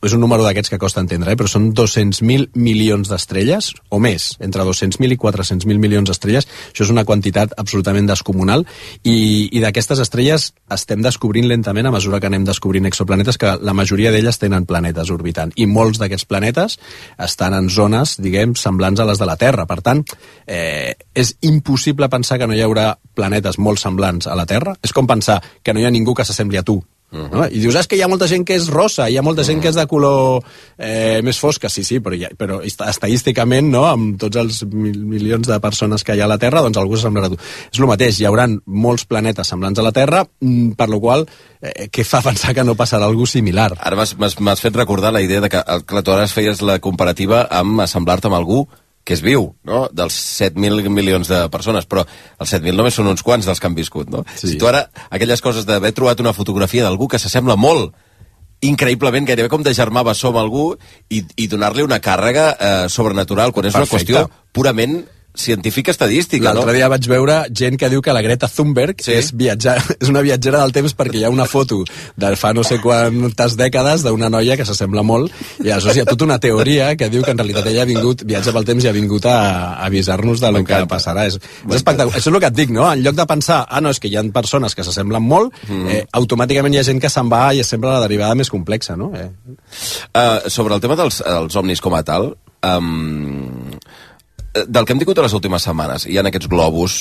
és un número d'aquests que costa entendre, però són 200.000 milions d'estrelles, o més, entre 200.000 i 400.000 milions d'estrelles. Això és una quantitat absolutament descomunal, i d'aquestes estrelles estem descobrint lentament, a mesura que anem descobrint exoplanetes, que la majoria d'elles tenen planetes orbitant, i molts d'aquests planetes estan en zones, diguem, semblants a les de la Terra. Per tant, és impossible pensar que no hi haurà planetes molt semblants a la Terra. És com pensar que no hi ha ningú que s'assembli a tu. No? I dius, que hi ha molta gent que és rosa, hi ha molta gent que és de color més fosca. Sí, però estadísticament, no? Amb tots els milions de persones que hi ha a la Terra, doncs algú s'assemblarà a tu. És el mateix, hi haurà molts planetes semblants a la Terra, per la qual què fa pensar que no passarà alguna similar? Ara m'has fet recordar la idea de que tu ara feies la comparativa amb assemblar-te amb algú que és viu, no? Dels 7.000 milions de persones, però els 7.000 només són uns quants dels que han viscut, no? Sí. Si tu ara, aquelles coses d'haver trobat una fotografia d'algú que s'assembla molt, increïblement, gairebé com de germà bessó amb algú, i donar-li una càrrega sobrenatural, quan és una qüestió purament científica estadística, no? L'altre dia vaig veure gent que diu que la Greta Thunberg és una viatgera del temps perquè hi ha una foto de fa no sé quantes dècades d'una noia que s'assembla molt, i aleshores hi ha tota una teoria que diu que en realitat ella viatja pel temps i ha vingut a avisar-nos del que passarà. És espectacular. Això és el que et dic, no? En lloc de pensar, no, és que hi ha persones que s'assemblen molt, automàticament hi ha gent que se'n va i és sempre la derivada més complexa, no? Sobre el tema dels ovnis com a tal, del que hem tingut a les últimes setmanes, hi ha aquests globus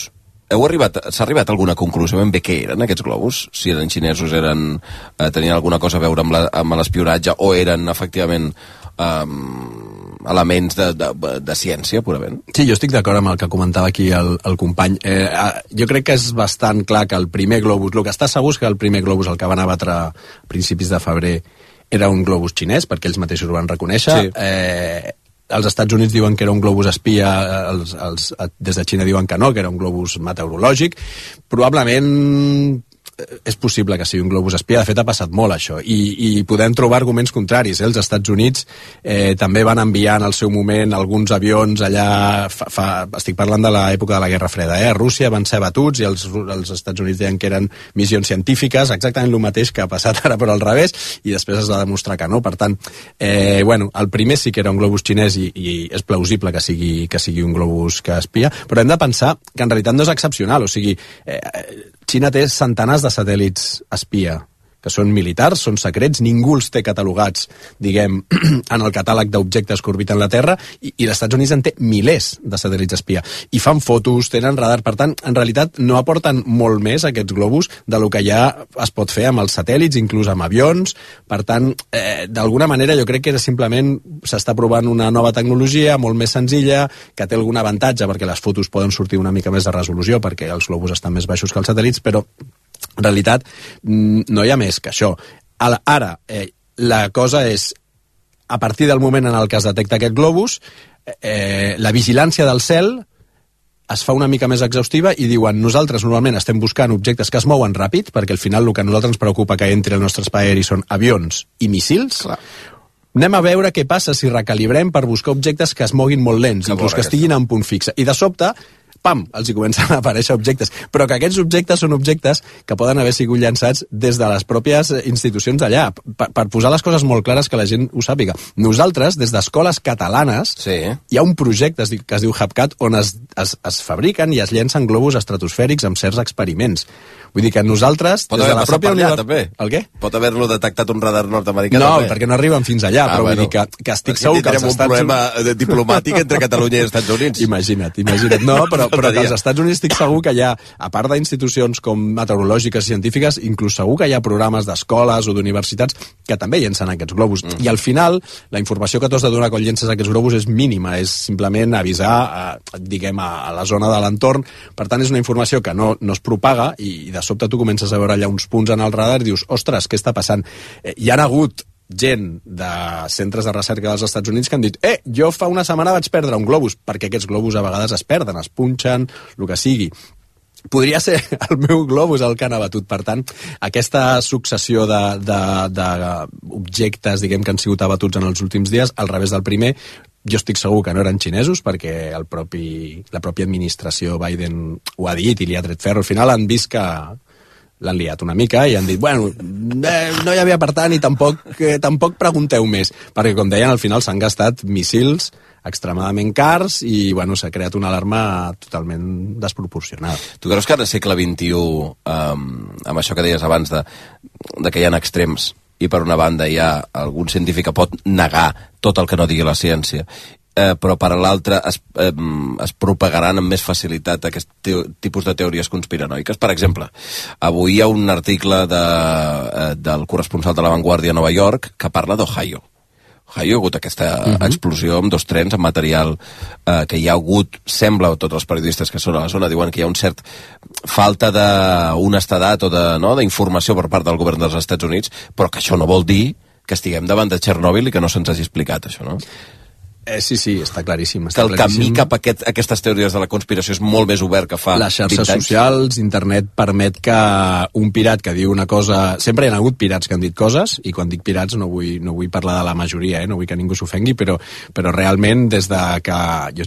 s'ha arribat a alguna conclusió ben bé què eren aquests globus? Si eren xinesos, tenien alguna cosa a veure amb l'espionatge o eren efectivament elements de ciència, purament? Sí, jo estic d'acord amb el que comentava aquí el company. Jo crec que és bastant clar que el primer globus, el que està segur és que el primer globus, el que van abatre a principis de febrer, era un globus xinès, perquè ells mateixos ho van reconèixer. Sí. Els Estats Units diuen que era un globus espia, des de Xina diuen que no, que era un globus meteorològic. Probablement és possible que sigui un globus espia, de fet ha passat molt això, i podem trobar arguments contraris. Els Estats Units també van enviar en el seu moment alguns avions allà, estic parlant de l'època de la Guerra Freda, a Rússia van ser abatuts i els Estats Units deien que eren missions científiques, exactament el mateix que ha passat ara però al revés, i després es va demostrar que no. Per tant, el primer sí que era un globus xinès i és plausible que sigui un globus que espia, però hem de pensar que en realitat no és excepcional, o sigui, Xina té centenars de satèl·lits espia, que són militars, són secrets, ningú els té catalogats, diguem, en el catàleg d'objectes que orbiten la Terra, i els Estats Units en té milers de satèl·lits espia. I fan fotos, tenen radar, per tant, en realitat no aporten molt més aquests globus de lo que ja es pot fer amb els satèl·lits, inclús amb avions. Per tant, d'alguna manera jo crec que simplement s'està provant una nova tecnologia molt més senzilla, que té algun avantatge perquè les fotos poden sortir una mica més de resolució, perquè els globus estan més baixos que els satèl·lits, però en realitat no hi ha més que això. Ara, la cosa és, a partir del moment en el que es detecta aquest globus, la vigilància del cel es fa una mica més exhaustiva i diuen, nosaltres normalment estem buscant objectes que es mouen ràpid, perquè al final el que a nosaltres ens preocupa que entri al nostre espai aeri són avions i míssils. Clar. Anem a veure què passa si recalibrem per buscar objectes que es moguin molt lents, inclús que estiguin en punt fixe. I de sobte, pam, els hi comencen a aparèixer objectes. Però que aquests objectes són objectes que poden haver sigut llançats des de les pròpies institucions d'allà. Per posar les coses molt clares que la gent ho sàpiga. Nosaltres, des d'escoles catalanes, hi ha un projecte que es diu HubCat on es fabriquen i es llencen globus estratosfèrics amb certs experiments. Vull dir que nosaltres, pot des de la pròpia universitat... El què? Pot haver-lo detectat un radar nord-americà no, també. perquè no arriben fins allà, però vull dir que estic segur que els Estats Units... un problema diplomàtic entre Catalunya i els Estats Units. Imagina't. No, però que als Estats Units estic segur que hi ha, a part d'institucions com meteorològiques i científiques, inclús segur que hi ha programes d'escoles o d'universitats que també llencen aquests globus. I al final, la informació que tu has de donar quan llences aquests globus és mínima, és simplement avisar, diguem, a la zona de l'entorn. Per tant, és una informació que no es propaga i de sobte tu comences a veure allà uns punts en el radar i dius, ostres, què està passant? Hi ha hagut gent de centres de recerca dels Estats Units que han dit, jo fa una setmana vaig perdre un globus, perquè aquests globus a vegades es perden, es punxen, el que sigui. Podria ser el meu globus el que han abatut. Per tant, aquesta successió d'objectes, diguem, que han sigut abatuts en els últims dies, al revés del primer, jo estic segur que no eren xinesos, perquè la pròpia administració Biden ho ha dit i li ha tret ferro. Al final han vist que l'han liat una mica i han dit, bueno, no hi havia per tant i tampoc pregunteu més, perquè com deien, al final s'han gastat míssils extremadament cars i bueno, s'ha creat una alarma totalment desproporcionada. Tu creus que ara segle XXI, amb això que deies abans de que hi ha extrems, i per una banda hi ha algun científic que pot negar tot el que no digui la ciència, però per l'altra es propagaran amb més facilitat aquest tipus de teories conspiranoiques. Per exemple, avui hi ha un article del corresponsal de La Vanguardia a Nova York que parla d'Ohio. Ohio hi ha hagut aquesta explosió amb 2 trens, amb material que hi ha hagut, sembla, tots els periodistes que són a la zona diuen que hi ha un cert falta d'honestedat o d'informació per part del govern dels Estats Units, però que això no vol dir que estiguem davant de Txernòbil i que no se'ns hagi explicat això, no? Sí, està claríssim. Que el camí cap a aquestes teories de la conspiració és molt més obert que fa 20 anys. Les xarxes socials, internet, permet que un pirat que diu una cosa... Sempre hi ha hagut pirats que han dit coses, i quan dic pirats no vull parlar de la majoria, no vull que ningú s'ofengui, però realment des de que... Jo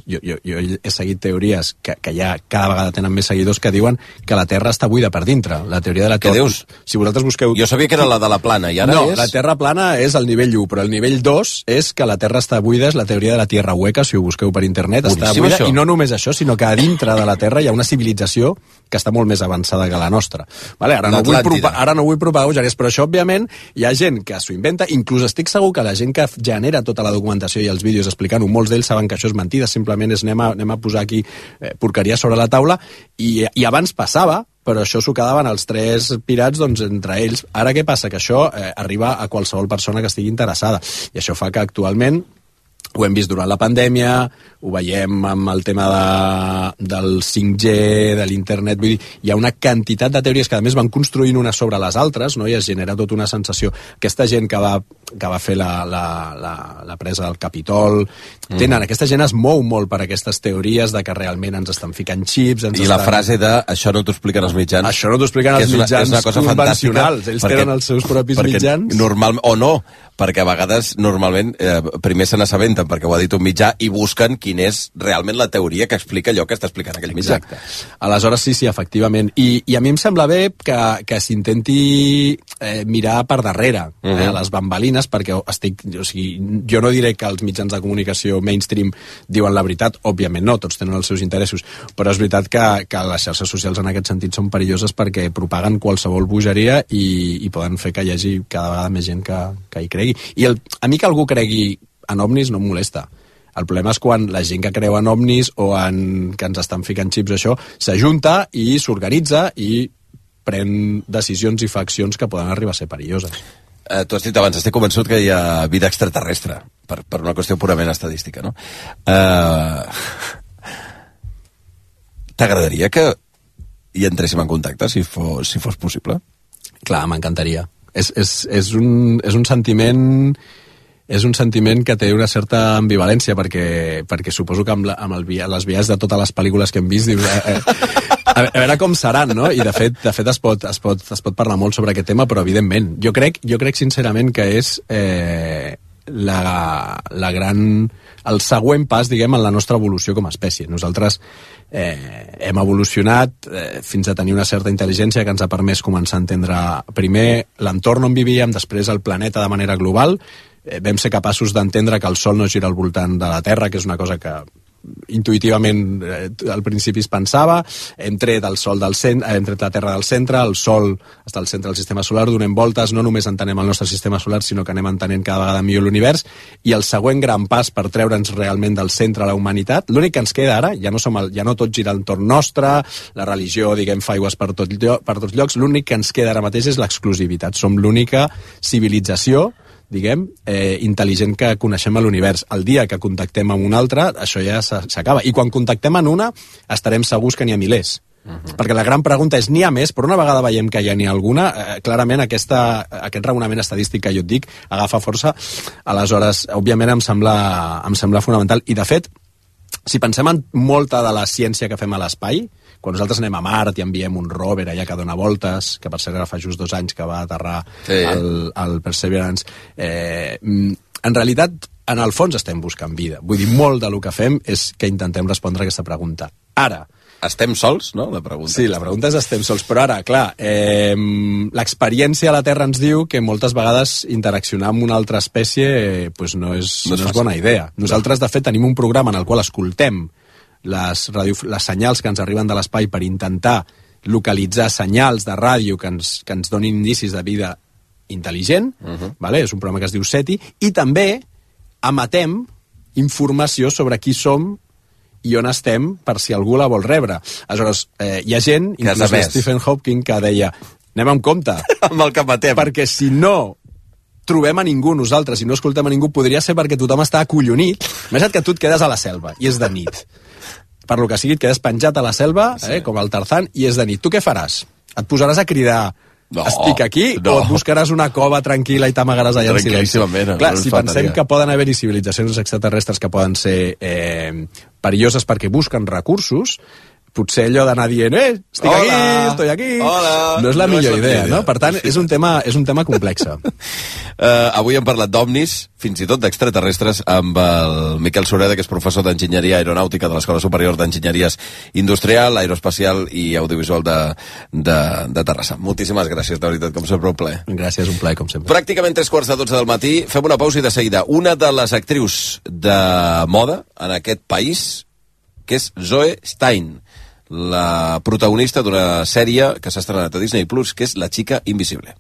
he seguit teories que ja cada vegada tenen més seguidors que diuen que la Terra està buida per dintre. La teoria de la Terra... Què dius? Si vosaltres busqueu... Jo sabia que era la de la plana, i ara és... No, la Terra plana és el nivell 1, però el nivell 2 és que la Terra està buida, és la teoria teoria de la Tierra Hueca, si ho busqueu per internet, està Boníssim, buida, això. i no només això, sinó que a dintre de la Terra hi ha una civilització que està molt més avançada que la nostra. Vale? Ara no vull propagar bogeries, però això, òbviament, hi ha gent que s'ho inventa, inclús estic segur que la gent que genera tota la documentació i els vídeos explicant-ho, molts d'ells saben que això és mentida, simplement és anem a posar aquí porqueria sobre la taula, i abans passava, però això s'ho quedaven els 3 pirats doncs, entre ells. Ara què passa? Que això arriba a qualsevol persona que estigui interessada, i això fa que actualment ho hem vist durant la pandèmia, ho veiem amb el tema del 5G, de l'internet, vull dir, hi ha una quantitat de teories que a més van construint unes sobre les altres, no? I es genera tota una sensació. Aquesta gent que va fer la presa del Capitol, aquesta gent es mou molt per aquestes teories de que realment ens estan ficant xips... I la frase de això no t'ho expliquen els mitjans. Això no t'ho expliquen els mitjans convencionals. Ells tenen els seus propis mitjans. O no, perquè a vegades normalment primer se n'assabenten perquè ho ha dit un mitjà i busquen quin és realment la teoria que explica allò que està explicant aquell mitjà. Exacte. Aleshores, sí, efectivament. I a mi em sembla bé que s'intenti mirar per darrere a les bambalines, perquè jo no diré que els mitjans de comunicació mainstream diuen la veritat, òbviament no, tots tenen els seus interessos, però és veritat que les xarxes socials en aquest sentit són perilloses perquè propaguen qualsevol bogeria i poden fer que hi hagi cada vegada més gent que hi cregui. I a mi que algú cregui en ovnis no em molesta. El problema és quan la gent que creu en ovnis o que ens estan ficant xips això, s'ajunta i s'organitza i pren decisions i fa accions que poden arribar a ser perilloses. Tu has dit abans, estic convençut que hi ha vida extraterrestre, per una qüestió purament estadística, no? T'agradaria que hi entréssim en contacte, si fos possible? Clar, m'encantaria. És un sentiment... És un sentiment que té una certa ambivalència, perquè suposo que amb les vies de totes les pel·lícules que hem vist, dius, a veure com seran, no? I de fet es pot parlar molt sobre aquest tema, però evidentment, jo crec sincerament que és el següent pas, diguem, en la nostra evolució com a espècie. Nosaltres hem evolucionat fins a tenir una certa intel·ligència que ens ha permès començar a entendre primer l'entorn on vivíem, després el planeta de manera global. Vam ser capaços d'entendre que el Sol no gira al voltant de la Terra, que és una cosa que intuïtivament al principi es pensava. Hem tret el Sol hem tret la Terra del centre, el Sol està al centre del sistema solar, donem voltes, no només entenem el nostre sistema solar, sinó que anem entenent cada vegada millor l'univers, i el següent gran pas per treure'ns realment del centre a la humanitat, l'únic que ens queda ara, ja no tot gira entorn nostre, la religió, diguem, fa aigües per tots llocs, l'únic que ens queda ara mateix és l'exclusivitat. Som l'única civilització, diguem, intel·ligent que coneixem a l'univers. El dia que contactem amb una altra, això ja s'acaba. I quan contactem en una, estarem segurs que n'hi ha milers. Perquè la gran pregunta és, n'hi ha més? Però una vegada veiem que ja n'hi ha alguna, clarament aquest raonament estadístic que jo et dic agafa força. Aleshores, òbviament em sembla fonamental. I de fet, si pensem en molta de la ciència que fem a l'espai, quan nosaltres anem a Mart i enviem un rover allà que dona voltes, que per cert ara fa just 2 anys que va aterrar al Perseverance, en realitat, en el fons estem buscant vida. Vull dir, molt del que fem és que intentem respondre a aquesta pregunta. Ara, estem sols, no? La pregunta. Sí, la pregunta és estem sols, però ara, clar, l'experiència a la Terra ens diu que moltes vegades interaccionar amb una altra espècie no és bona idea. Nosaltres, de fet, tenim un programa en el qual escoltem les senyals que ens arriben de l'espai per intentar localitzar senyals de ràdio que ens donin indicis de vida intel·ligent, vale? És un programa que es diu SETI, i també emetem informació sobre qui som i on estem per si algú la vol rebre. Aleshores, hi ha gent, inclús Stephen Hawking, que deia, anem amb compte, amb el que matem, perquè si no trobem a ningú nosaltres i no escoltem a ningú, podria ser perquè tothom està acollonit. Imagina't que tu et quedes a la selva i és de nit. Per lo que sigui, et quedes penjat a la selva, com el Tarzan, i és de nit. Tu què faràs? Et posaràs a cridar estic aquí, o et buscaràs una cova tranquil·la i t'amagaràs allà en silenci? Clar, si pensem que poden haver-hi civilitzacions extraterrestres que poden ser perilloses perquè busquen recursos, potser allò d'anar dient estic aquí, estoy aquí... No és la millor idea, no? Per tant, és un tema complex. Avui hem parlat d'ovnis, fins i tot d'extraterrestres, amb el Miquel Sureda, que és professor d'Enginyeria Aeronàutica de l'Escola Superior d'Enginyeries Industrial, Aeroespacial i Audiovisual de Terrassa. Moltíssimes gràcies, de veritat, com sempre, un plaer. Gràcies, un plaer, com sempre. Pràcticament 3:45 del matí, fem una pausa i de seguida. Una de les actrius de moda en aquest país, que és Zoe Stein, la protagonista d'una sèrie que s'ha estrenat a Disney Plus, que és La Chica Invisible.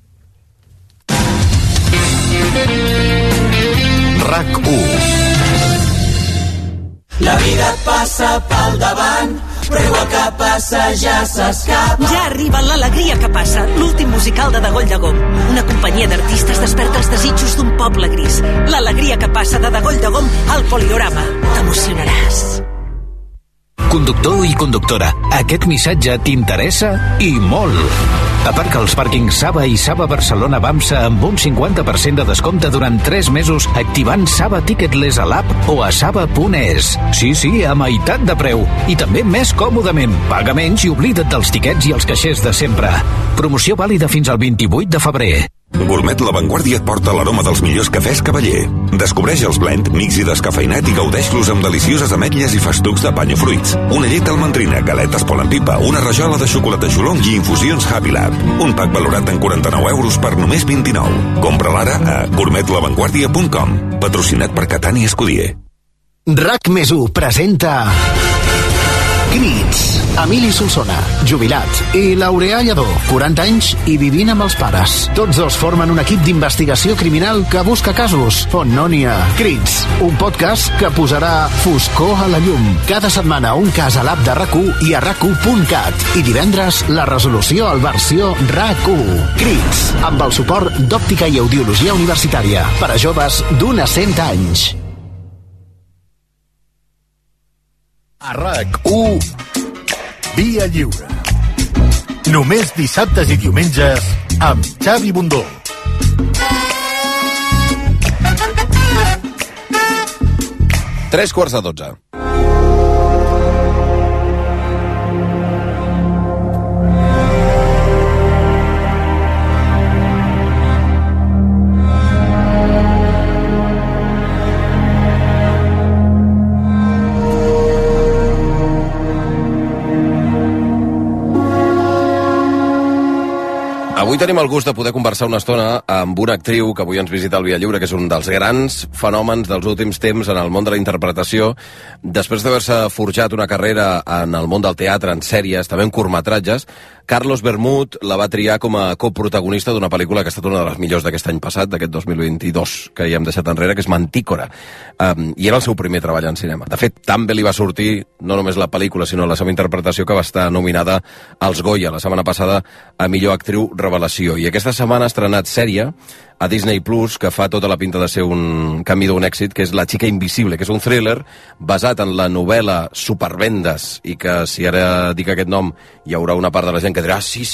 RAC1. La vida et passa pel davant, però igual que passa ja s'escapa. Ja arriba l'Alegria que passa, l'últim musical de Degoll de Gom. Una companyia d'artistes desperta els desitjos d'un poble gris. L'Alegria que passa de Degoll de Gom al Poliorama. T'emocionaràs. Conductor i conductora, aquest missatge t'interessa i molt. Aparca als pàrquings Saba i Saba Barcelona Bamsa amb un 50% de descompte durant 3 mesos activant Saba Ticketless a l'app o a saba.es. Sí, a meitat de preu. I també més còmodament. Paga menys i oblida't dels tiquets i els caixers de sempre. Promoció vàlida fins al 28 de febrer. Gourmet La Vanguardia et porta l'aroma dels millors cafès Cavaller. Descobreix els blend, mix i descafeinat i gaudeix-los amb delicioses ametlles i festucs de pany o fruits. Una llet almendrina, galetes Pol en Pipa, una rajola de xocolata xolong i infusions Happy Lab. Un pack valorat en 49 euros per només 29. Compra-la ara a gourmetlavanguardia.com. Patrocinat per Catània Escudier. RAC+1 presenta Crits. Emili Solsona, jubilat, i Laureà Lledó, 40 anys i vivint amb els pares. Tots dos formen un equip d'investigació criminal que busca casos on no n'hi ha. Crits, un podcast que posarà foscor a la llum. Cada setmana un cas a l'app de RAC1 i a RAC1.cat. I divendres la resolució al versió RAC1. Crits, amb el suport d'Òptica i Audiologia Universitària per a joves d'un a 100 anys. A RAC1, Via Lliure. Només dissabtes i diumenges amb Xavi Bundó. Tres quarts de 12. Avui tenim el gust de poder conversar una estona amb una actriu que avui ens visita al Via Lliure, que és un dels grans fenòmens dels últims temps en el món de la interpretació. Després d'haver-se forjat una carrera en el món del teatre, en sèries, també en curtmetratges, Carlos Bermud la va triar com a coprotagonista d'una pel·lícula que ha estat una de les millors d'aquest any passat, d'aquest 2022, que ja hem deixat enrere, que és Mantícora. I era el seu primer treball en cinema. De fet, tan bé li va sortir no només la pel·lícula, sinó la seva interpretació, que va estar nominada als Goya la setmana passada a millor actriu revelació. I aquesta setmana ha estrenat sèrie a Disney Plus, que fa tota la pinta de ser un camí d'un èxit, que és La Chica Invisible, que és un thriller basat en la novel·la Supervendes, i que si ara dic aquest nom hi haurà una part de la gent que dirà sí,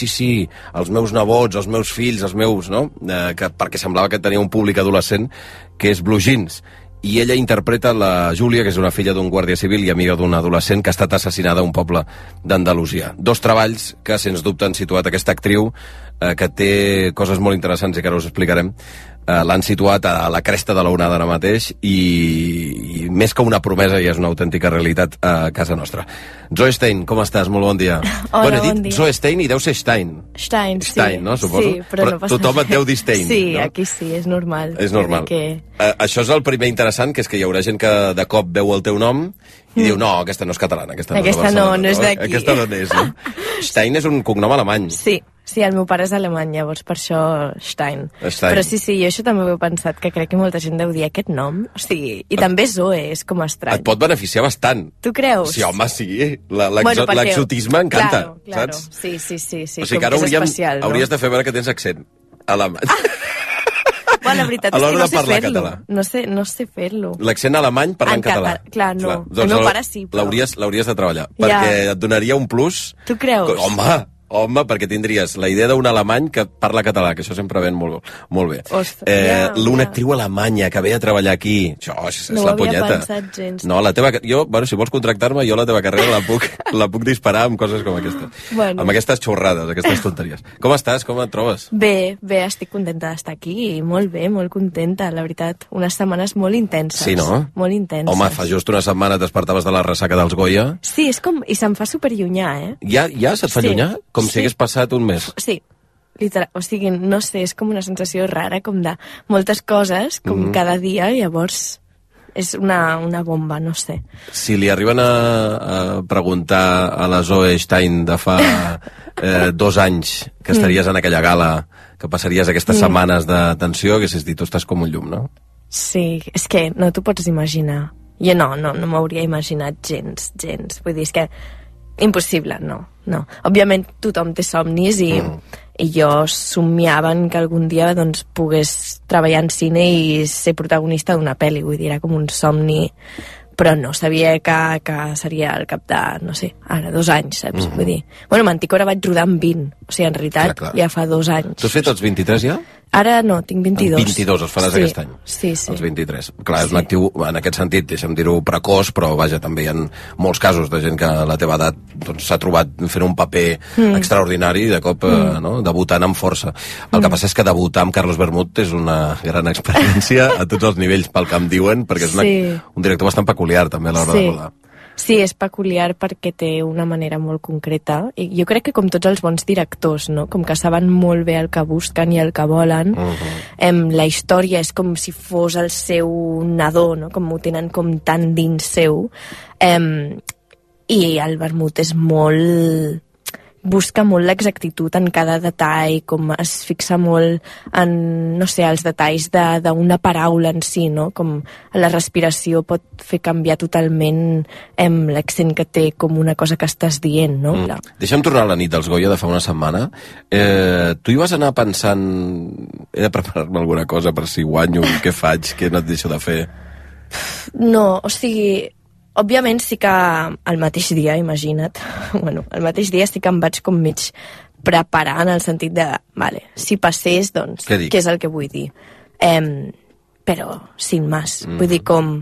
els meus nebots, els meus fills, els meus... no? Perquè semblava que tenia un públic adolescent, que és Blue Jeans. I ella interpreta la Júlia, que és una filla d'un guàrdia civil i amiga d'un adolescent que ha estat assassinada a un poble d'Andalusia. Dos treballs que, sens dubte, han situat aquesta actriu, que té coses molt interessants i que ara us explicarem. L'han situat a la cresta de l'onada ara mateix i més que una promesa ja és una autèntica realitat a casa nostra. Zoe Stein, com estàs? Molt bon dia. Hola, bon dia. Zoe Stein i deu ser Stein. Stein, sí. Stein, no? Suposo. Sí, però no passa tothom et deu dir Stein, sí, no? Aquí sí, és normal. És normal. Això és el primer interessant, que és que hi haurà gent que de cop veu el teu nom i diu, no, aquesta no és catalana, aquesta no és d'aquí. Aquesta no és, no? Stein és un cognom alemany. Sí, el meu pare és alemany, llavors per això Stein. Però sí, jo això també ho he pensat, que crec que molta gent deu dir aquest nom. O sigui, i també Zoe, és com estrany. Et pot beneficiar bastant. Tu creus? Sí, home, sí. L'exotisme encanta, saps? Sí, o sigui que ara hauries de fer veure que tens accent alemany. Bueno, la veritat és que no sé fer-lo. No sé fer-lo. L'accent alemany parlant català. Clar, no. El meu pare sí, però... L'hauries de treballar, perquè et donaria un plus. Tu creus? Home, Home, perquè tindries la idea d'un alemany que parla català, que això sempre ven molt bé. Una actriu alemanya que ve a treballar aquí. Això és la punyeta. No ho havia pensat gens. No, si vols contractar-me, jo la teva carrera la puc disparar amb coses com aquesta. Bueno. Amb aquestes xorrades, aquestes tonteries. Com estàs? Com et trobes? Bé, estic contenta d'estar aquí. Molt bé, molt contenta, la veritat. Unes setmanes molt intenses. Sí, no? Molt intenses. Home, fa just una setmana et despertaves de la ressaca dels Goya. Sí, és com... I se'm fa superllunyà, Ja se't fa llunyà? Com si hagués passat un mes. Sí, literal, o sigui, no sé, és com una sensació rara, com de moltes coses, com cada dia, llavors és una bomba, no sé. Si li arriben a preguntar a la Zoe Stein de fa 2 anys que estaries en aquella gala, que passaries aquestes setmanes de tensió, haguessis dit, tu estàs com un llum, no? Sí, és que no t'ho pots imaginar. Jo no m'hauria imaginat gens. Vull dir, és que impossible, no. Òbviament tothom té somnis i jo somiava que algun dia doncs, pogués treballar en cine i ser protagonista d'una pel·li, vull dir, era com un somni, però no sabia que seria al cap de, no sé, ara 2 anys, saps? Vull dir, bueno, Manticora vaig rodar amb 20, o sigui, en realitat, ja fa 2 anys. Tu has fet els 23 ja? Ara no, tinc 22. 22 els faràs aquest any. Sí. Els 23. Clar, és un actiu, en aquest sentit, deixa'm dir-ho, precoç, però vaja, també hi ha molts casos de gent que a la teva edat s'ha trobat fent un paper extraordinari i de cop debutant amb força. El que passa és que debutar amb Carlos Bermud és una gran experiència a tots els nivells, pel que em diuen, perquè és un director bastant peculiar també a l'hora de rodar. Sí, és peculiar perquè té una manera molt concreta. I jo crec que com tots els bons directors, no? Com que saben molt bé el que busquen i el que volen. La història és com si fos el seu nadó, no? Com ho tenen com tan dins seu. I el Vermut és molt... busca molt l'exactitud en cada detall, com es fixa molt en, no sé, els detalls d'una paraula en si, no? Com la respiració pot fer canviar totalment l'accent que té com una cosa que estàs dient, no? Deixa'm tornar a la nit dels Goya de fa una setmana. Tu hi vas anar pensant he de preparar-me alguna cosa per si guanyo, què faig, què no et deixo de fer? No, o sigui... Òbviament sí que el mateix dia, imagina't, el mateix dia sí que em vaig com mig preparar en el sentit de, vale, si passés, doncs, què és el que vull dir? Però, sin más, vull dir, com...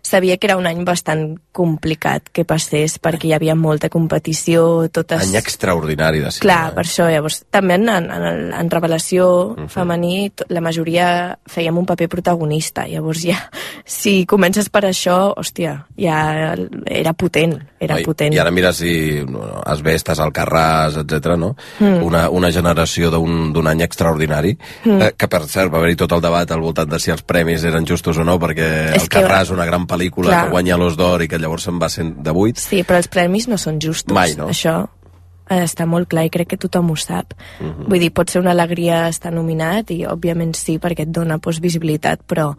Sabia que era un any bastant complicat que passés perquè hi havia molta competició, totes... Any extraordinari de cinema. Clar, per això, llavors, també en revelació femení, la majoria fèiem un paper protagonista, llavors ja, si comences per això, hòstia, ja era potent, potent. I ara mira si Asbestes, Alcarràs, etc, no? Una generació d'un any extraordinari, que per cert va haver-hi tot el debat al voltant de si els premis eren justos o no, perquè Alcarràs, una gran pel·lícula que guanya l'Os d'Or i que llavors se'n va de 8. Sí, però els premis no són justos. Mai, no? Això està molt clar i crec que tothom ho sap. Vull dir, pot ser una alegria estar nominat i òbviament sí, perquè et dona visibilitat, però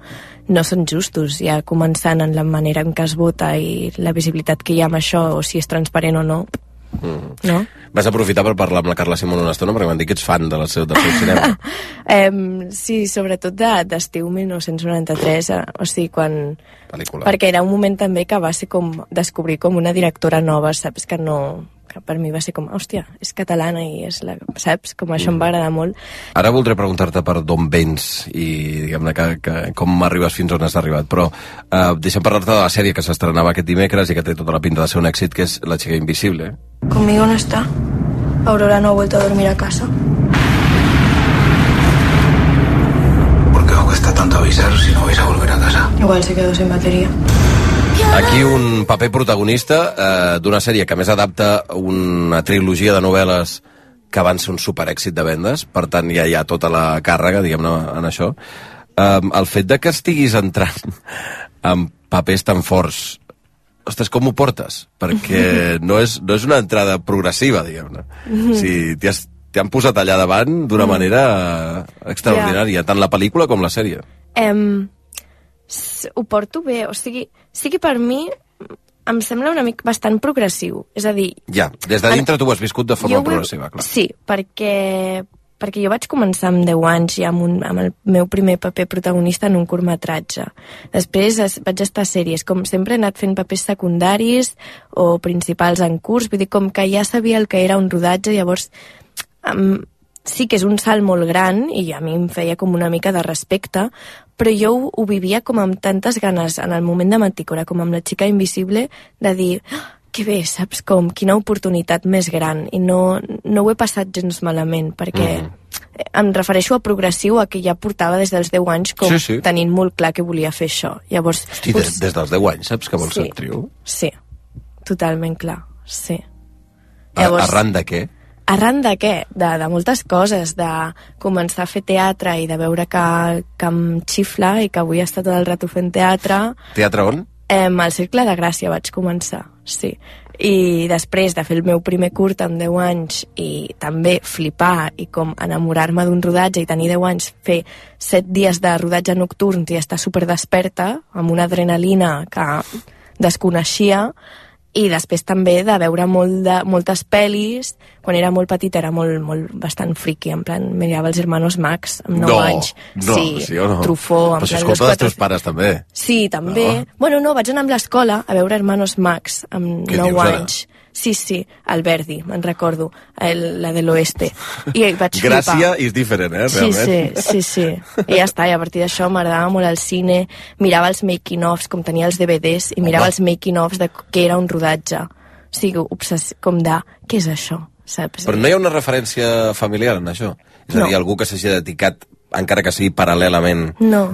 no són justos, ja començant en la manera en què es vota i la visibilitat que hi ha amb això, o si és transparent o no. No? Vas aprofitar per parlar amb la Carla Simón una estona perquè m'han dit que ets fan del seu cinema. Sí, sobretot d'estiu 1993, o sigui, quan... Pel·lícula. Perquè era un moment també que va ser com descobrir com una directora nova, saps? Que per mi va ser com, hòstia, és catalana i és la... Saps? Com això em va agradar molt. Ara voldré preguntar-te per d'on vens i diguem-ne que com arribes fins on has arribat, però deixa'm parlar-te de la sèrie que s'estrenava aquest dimecres i que té tota la pinta de ser un èxit, que és La chica invisible. ¿Conmigo no está? Aurora no ha vuelto a dormir a casa. ¿Por qué os cuesta tanto avisar si no vais a volver a casa? Igual se quedó sin batería. Aquí un paper protagonista d'una sèrie que a més adapta una trilogia de novel·les que van ser un superèxit de vendes, per tant ja hi ha tota la càrrega, diguem-ne, en això. El fet de que estiguis entrant amb papers tan forts, ostres, com ho portes? Perquè no és una entrada progressiva, diguem-ne. O sigui, t'han posat allà davant d'una manera extraordinària, tant la pel·lícula com la sèrie. Ho porto bé, o sigui, sí que per mi em sembla una mica bastant progressiu, és a dir... Ja, des de dintre tu ho has viscut de forma progressiva, clar. Sí, perquè perquè jo vaig començar amb 10 anys ja amb el meu primer paper protagonista en un curtmetratge. Després vaig estar a sèries, com sempre he anat fent papers secundaris o principals en curs, vull dir, com que ja sabia el que era un rodatge, llavors sí que és un salt molt gran i a mi em feia com una mica de respecte, però jo ho vivia com amb tantes ganes en el moment de Mantícora, com amb La xica invisible, de dir, que bé, saps com, quina oportunitat més gran, i no ho he passat gens malament, perquè em refereixo a progressiu, a que ja portava des dels 10 anys com tenint molt clar que volia fer això. Llavors, hosti, des dels 10 anys saps que vols ser actriu? Sí, totalment clar, sí. Llavors, arran de què? Arran de què? De moltes coses, de començar a fer teatre i de veure que em xifla i que avui està tot el rato fent teatre. Teatre on? Al Cercle de Gràcia vaig començar, sí. I després de fer el meu primer curt amb 10 anys i també flipar i com enamorar-me d'un rodatge i tenir 10 anys, fer 7 dies de rodatge nocturn i estar superdesperta, amb una adrenalina que desconeixia, i després també de veure moltes pel·lis. Quan era molt petita era bastant friqui, en plan, mirava els Hermanos Marx amb 9 anys. Sí o no? Truffaut. Però això és culpa dels teus pares, també. Sí, també. Bueno, no, vaig anar amb l'escola a veure Hermanos Marx amb 9 anys. Sí, el Verdi, me'n recordo, la de l'Oeste. I vaig flipar. Gràcia is diferent, realment. Sí. I ja està, i a partir d'això m'agradava molt el cine, mirava els making-ofs, com tenia els DVDs, i mirava els making-ofs de què era un rodatge. O sigui, com de, què és això? Saps? Però no hi ha una referència familiar en això? És a dir, algú que s'hagi dedicat, encara que sigui paral·lelament,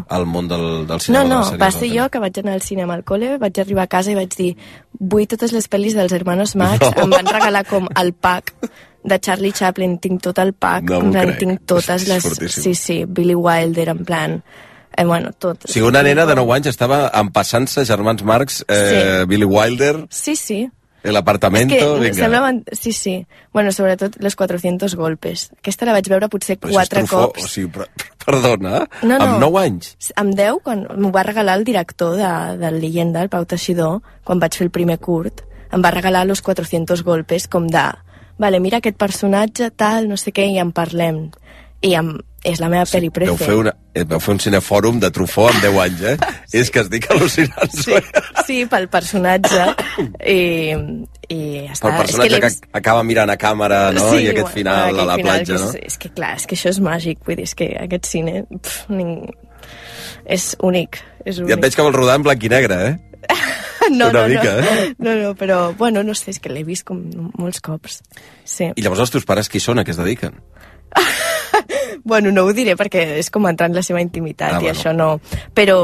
al món del cinema? No, va ser jo que vaig anar al cinema al col·le, vaig arribar a casa i vaig dir, vull totes les pel·lis dels Hermanos Marx, em van regalar com el pack de Charlie Chaplin, tinc tot el pack, tinc totes les... Sí, Billy Wilder, en plan... Bueno, tot. O sigui, una nena de 9 anys estava empassant-se Germans Marx, Billy Wilder... Sí. El apartamento, vinga. Semblaven... Sí. Bueno, sobretot los 400 golpes. Aquesta la vaig veure potser 4 cops. O sigui, perdona, no. Amb 9 anys? Amb 10, quan m'ho va regalar el director de Leyenda, el Pau Teixidor, quan vaig fer el primer curt, em va regalar los 400 golpes, com de... Vale, mira aquest personatge, tal, no sé què, i en parlem. I és la meva pel·li prefe. Vau fer un cinefòrum de Truffaut amb 10 anys, És que estic al·lucinant. Sí, pel personatge. I ja està. Pel personatge que acaba mirant a càmera, no? I aquest final a la platja, no? És que clar, és que això és màgic. Vull dir, és que aquest cine és únic. I et veig que vols rodar en blanc i negre, No, mica, no, però, bueno, no sé, és que l'he vist com molts cops. Sí. I llavors els teus pares qui són, a què es dediquen? Bueno, no ho diré perquè és com entrar en la seva intimitat i això no... Però,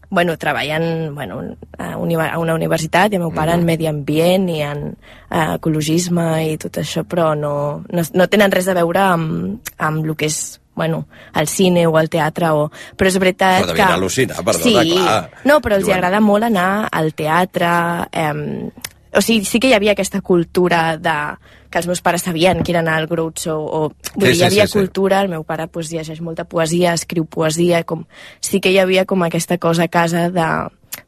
bueno, treballen a una universitat i el meu pare en medi ambient i en ecologisme i tot això, però no tenen res a veure amb el que és al cine o al teatre, però és veritat que... Però devien al·lucinar, perdona, clar. No, però els agrada molt anar al teatre... O sigui, sí que hi havia aquesta cultura que els meus pares sabien que era anar al Groucho, hi havia cultura, el meu pare llegeix molta poesia, escriu poesia, sí que hi havia com aquesta cosa a casa de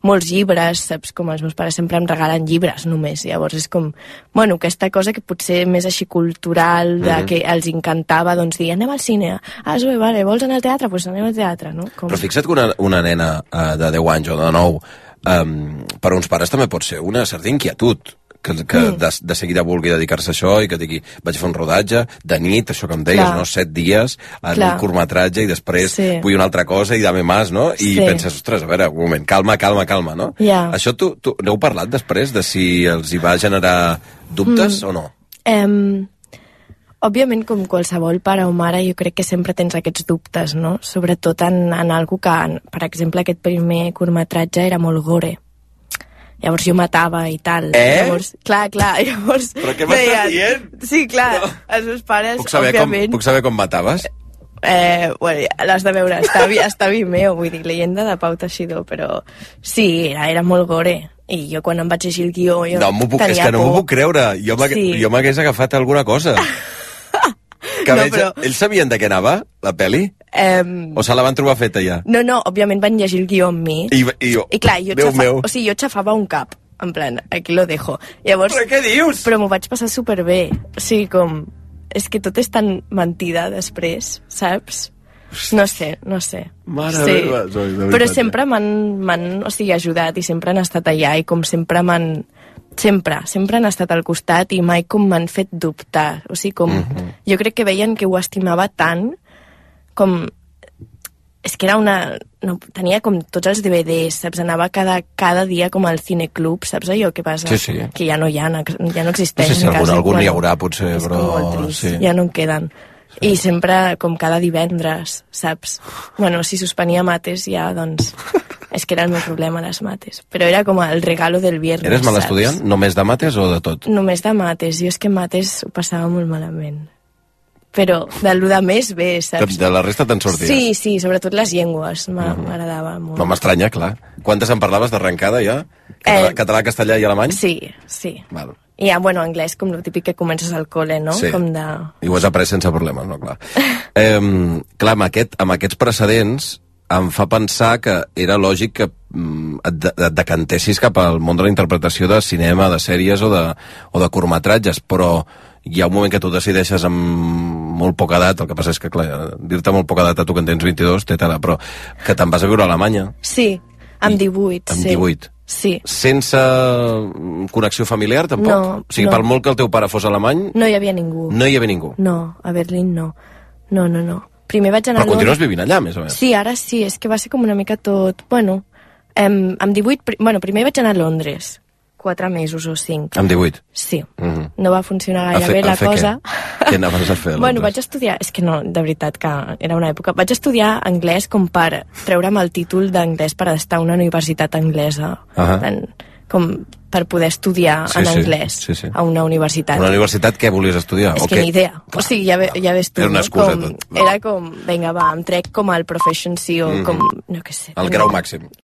molts llibres, saps? Com els meus pares sempre em regalen llibres només, llavors és com, aquesta cosa que potser més així cultural, que els encantava, doncs dir, anem al cine, Zoe, vale, vols anar al teatre? Doncs anem al teatre, no? Però fixa't que una nena de 10 anys o de 9, per uns pares també pot ser una certa inquietud, que de seguida vulgui dedicar-se a això i que digui, vaig fer un rodatge de nit, això que em deies, no? 7 dies en un curtmetratge i després vull una altra cosa i dame más, no? I penses, ostres, a veure, un moment, calma, no? Això tu n'heu parlat després de si els hi va generar dubtes o no? Òbviament, com qualsevol pare o mare, jo crec que sempre tens aquests dubtes, no? Sobretot en algú que, per exemple, aquest primer curtmetratge era molt gore. Llavors jo matava i tal. Llavors, clar, llavors... Però què m'estàs dient? Sí, clar, els meus pares, òbviament... Puc saber com mataves? L'has de veure, està Vimeo, vull dir, Leyenda de Pau Teixidor, però sí, era molt gore. I jo quan em vaig llegir el guió jo tenia por. És que no m'ho puc creure, jo m'hagués agafat alguna cosa. Ells sabien de què anava, la pel·li? O se la van trobar feta ja? No, òbviament van llegir el guió amb mi. I clar, jo xafava un cap, en plan, aquí lo dejo. Llavors, però què dius? Però m'ho vaig passar superbé. O sigui, com... és que tot és tan mentida després, saps? No sé. Mare meva, Zoe, de veritat. Però sempre m'han ajudat i sempre han estat allà i com sempre sempre han estat al costat i mai com m'han fet dubtar. O sigui, com... Jo crec que veien que ho estimava tant com... És que era no, tenia com tots els DVDs, saps? Anava cada dia com al cineclub, saps allò que passa? Sí. Que ja no existeix. No sé si algun hi haurà, potser, és però... És molt trist, sí. ja no en queden. Sí. I sempre, com cada divendres, saps? Bueno, si suspenia mates ja, doncs... És que era el meu problema, les mates. Però era com el regalo del viernes, Eres mal saps? estudiant? Només de mates o de tot? Només de mates. Jo és que mates ho passava molt malament. Però de lo de més bé, saps? De la resta te'n sorties? Sí, sobretot les llengües m'agradava molt. No m'estranya, clar. Quantes en parlaves d'arrencada ja? Català, castellà i alemany? Sí. Val. I ja, bueno, anglès, com el típic que comences al col·le, no? Sí. Com de... I ho has après sense problemes, no? Clar, amb aquests precedents em fa pensar que era lògic que et decantessis cap al món de la interpretació de cinema, de sèries o de curtmetratges, però hi ha un moment que tu decideixes amb molt poca edat, el que passa és que, clar, dir-te molt poca edat a tu que en tens 22, té tela, però que te'n vas a viure a Alemanya. Sí, amb 18. Amb 18. Sí. Sense connexió familiar, tampoc? No. O sigui, per molt que el teu pare fos alemany... No hi havia ningú. No hi havia ningú? No, a Berlín no. No. Primer vaig anar... Però continues vivint allà, més o menys? Sí, ara sí, és que va ser com una mica tot... Bueno, amb 18... Primer vaig anar a Londres, 4 mesos o 5. Amb 18? Sí. No va funcionar gaire bé la cosa. Què anaves a fer? Bueno, vaig estudiar... És que no, de veritat, que era una època... Vaig estudiar anglès com per treure'm el títol d'anglès per estar a una universitat anglesa. Com per poder estudiar en anglès a una universitat. Una universitat què volies estudiar? És que ni idea. O sigui, ja ves tu. Era una excusa, tot. Era com, vinga, va, em trec com el Proficiency o com, no què sé. El grau màxim.